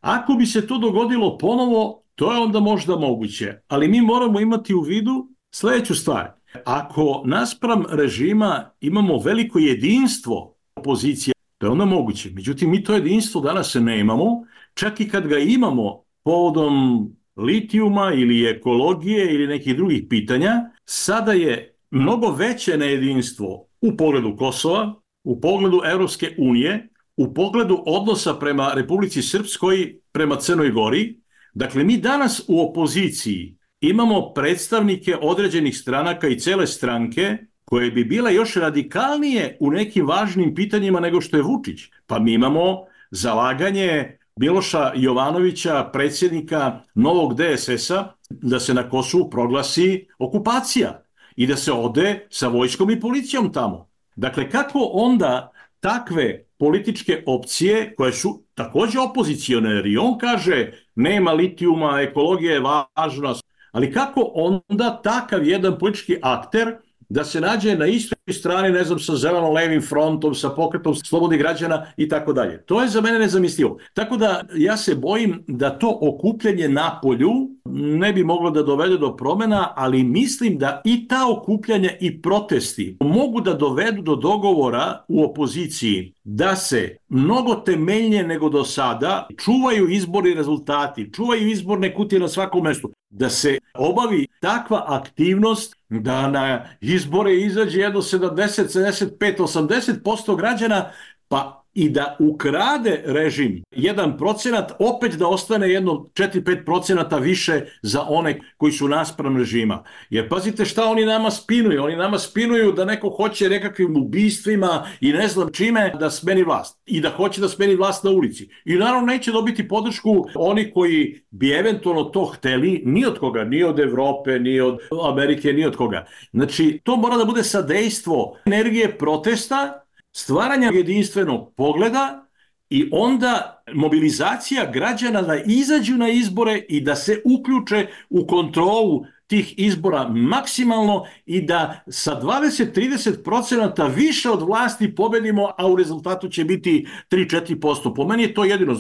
Ako bi se to dogodilo ponovo, to je onda možda moguće, ali mi moramo imati u vidu sljedeću stvar. Ako naspram režima imamo veliko jedinstvo opozicije, to je onda moguće. Međutim, mi to jedinstvo danas ne imamo, čak i kad ga imamo povodom litijuma ili ekologije ili nekih drugih pitanja, sada je mnogo veće nejedinstvo u pogledu Kosova, u pogledu Evropske unije, u pogledu odnosa prema Republici Srpskoj, prema Crnoj Gori. Dakle, mi danas u opoziciji imamo predstavnike određenih stranaka i cele stranke koje bi bile još radikalnije u nekim važnim pitanjima nego što je Vučić. Pa mi imamo zalaganje Miloša Jovanovića, predsjednika novog D S S-a, da se na Kosovu proglasi okupacija i da se ode sa vojskom i policijom tamo. Dakle, kako onda takve političke opcije koje su također opozicione, jer i on kaže nema litijuma, ekologija je važna, ali kako onda takav jedan politički akter da se nađe na istoj strani, ne znam, sa zeleno-levim frontom, sa pokretom slobodnih građana i tako dalje. To je za mene nezamislivo. Tako da ja se bojim da to okupljanje na polju ne bi moglo da dovede do promjena, ali mislim da i ta okupljanja i protesti mogu da dovedu do dogovora u opoziciji da se mnogo temeljnije nego do sada čuvaju izborni rezultati, čuvaju izborne kutije na svakom mestu, da se obavi takva aktivnost da na izbore izađe jedno sedamdeset, sedamdeset pet, osamdeset posto građana, pa i da ukrade režim jedan procenat, opet da ostane jedno četiri do pet procenata više za one koji su naspram režima. Jer pazite šta oni nama spinuju. Oni nama spinuju da neko hoće nekakvim ubistvima i ne znam čime da smeni vlast. I da hoće da smeni vlast na ulici. I naravno neće dobiti podršku oni koji bi eventualno to hteli, ni od koga, ni od Evrope, ni od Amerike, ni od koga. Znači, to mora da bude sadejstvo energije protesta, stvaranja jedinstvenog pogleda i onda mobilizacija građana da izađu na izbore i da se uključe u kontrolu tih izbora maksimalno i da sa dvadeset do trideset procenata više od vlasti pobedimo, a u rezultatu će biti tri do četiri posto. Po meni je to jedino.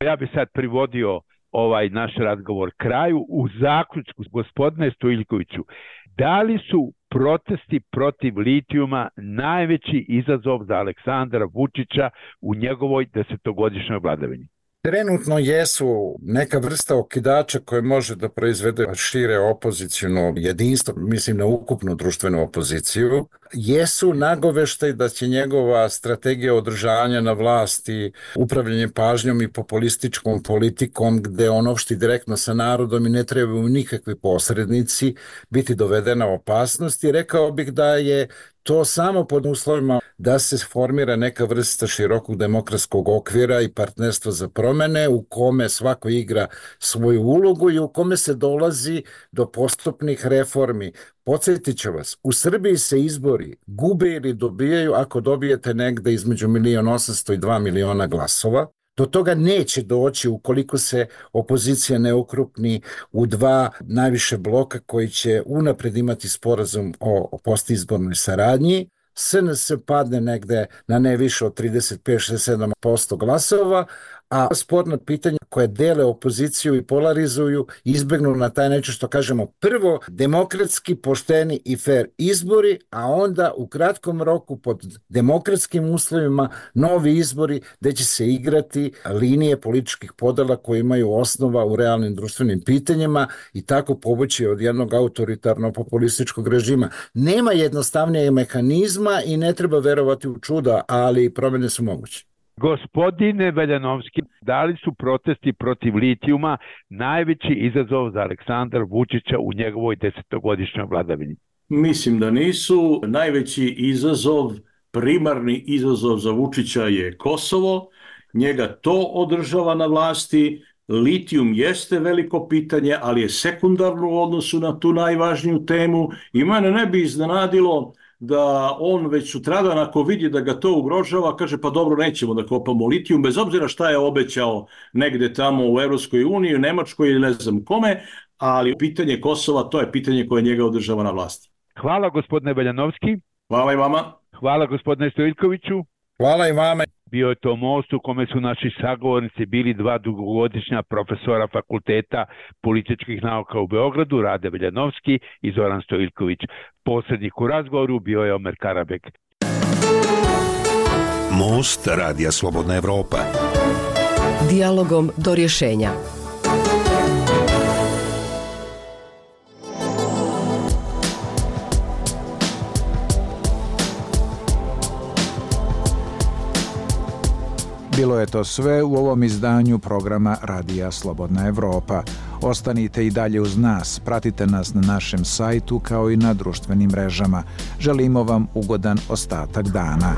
Ja bi sad privodio ovaj naš razgovor kraju u zaključku, gospodine Stojiljkoviću. Da li su protesti protiv litijuma najveći izazov za Aleksandra Vučića u njegovoj desetogodišnjoj vladavini? Trenutno jesu neka vrsta okidača koje može da proizvede šire opozicijno jedinstvo, mislim na ukupnu društvenu opoziciju. Jesu nagoveštaj da će njegova strategija održanja na vlasti, upravljanje pažnjom i populističkom politikom, gde on opšti direktno sa narodom i ne trebaju nikakvi posrednici, biti dovedena u opasnost. I rekao bih da je to samo pod uslovima da se formira neka vrsta širokog demokratskog okvira i partnerstva za promene u kome svako igra svoju ulogu i u kome se dolazi do postupnih reformi. Podsjetit ću vas, u Srbiji se izbori gube ili dobijaju ako dobijete negde između milion osamsto i dva miliona glasova. Do toga neće doći ukoliko se opozicija ne okrupni u dva najviše bloka koji će unapred imati sporazum o postizbornoj saradnji. S N S padne negde na ne više od trideset pet do trideset sedam posto glasova, a sporna pitanja koje dele opoziciju i polarizuju izbegnu na taj način što kažemo prvo demokratski, pošteni i fair izbori, a onda u kratkom roku pod demokratskim uslovima novi izbori gde će se igrati linije političkih podela koje imaju osnova u realnim društvenim pitanjima i tako povući od jednog autoritarno-populističkog režima. Nema jednostavnijeg mehanizma i ne treba verovati u čuda, ali promjene su moguće. Gospodine Veljanovski, da li su protesti protiv litijuma najveći izazov za Aleksandra Vučića u njegovoj desetogodišnjoj vladavini? Mislim da nisu. Najveći izazov, primarni izazov za Vučića je Kosovo. Njega to održava na vlasti. Litijum jeste veliko pitanje, ali je sekundarno u odnosu na tu najvažniju temu. I mene ne bi iznenadilo da on već sutradan ako vidi da ga to ugrožava, kaže pa dobro, nećemo da kopamo litijum, bez obzira šta je obećao negde tamo u Evropskoj uniji, u Nemačkoj ili ne znam kome, ali pitanje Kosova, to je pitanje koje njega održava na vlasti. Hvala gospodine Veljanovski. Hvala i vama. Hvala gospodine Stojiljkoviću. Hvala i vama. Bio je to most u kome su naši sagovornici bili dva dugogodišnja profesora Fakulteta političkih nauka u Beogradu, Rade Veljanovski i Zoran Stojiljković. Posrednik u razgovoru bio je Omer Karabek. Most Radija Slobodna Evropa. Dijalogom do rješenja. Bilo je to sve u ovom izdanju programa Radija Slobodna Evropa. Ostanite i dalje uz nas, pratite nas na našem sajtu kao i na društvenim mrežama. Želimo vam ugodan ostatak dana.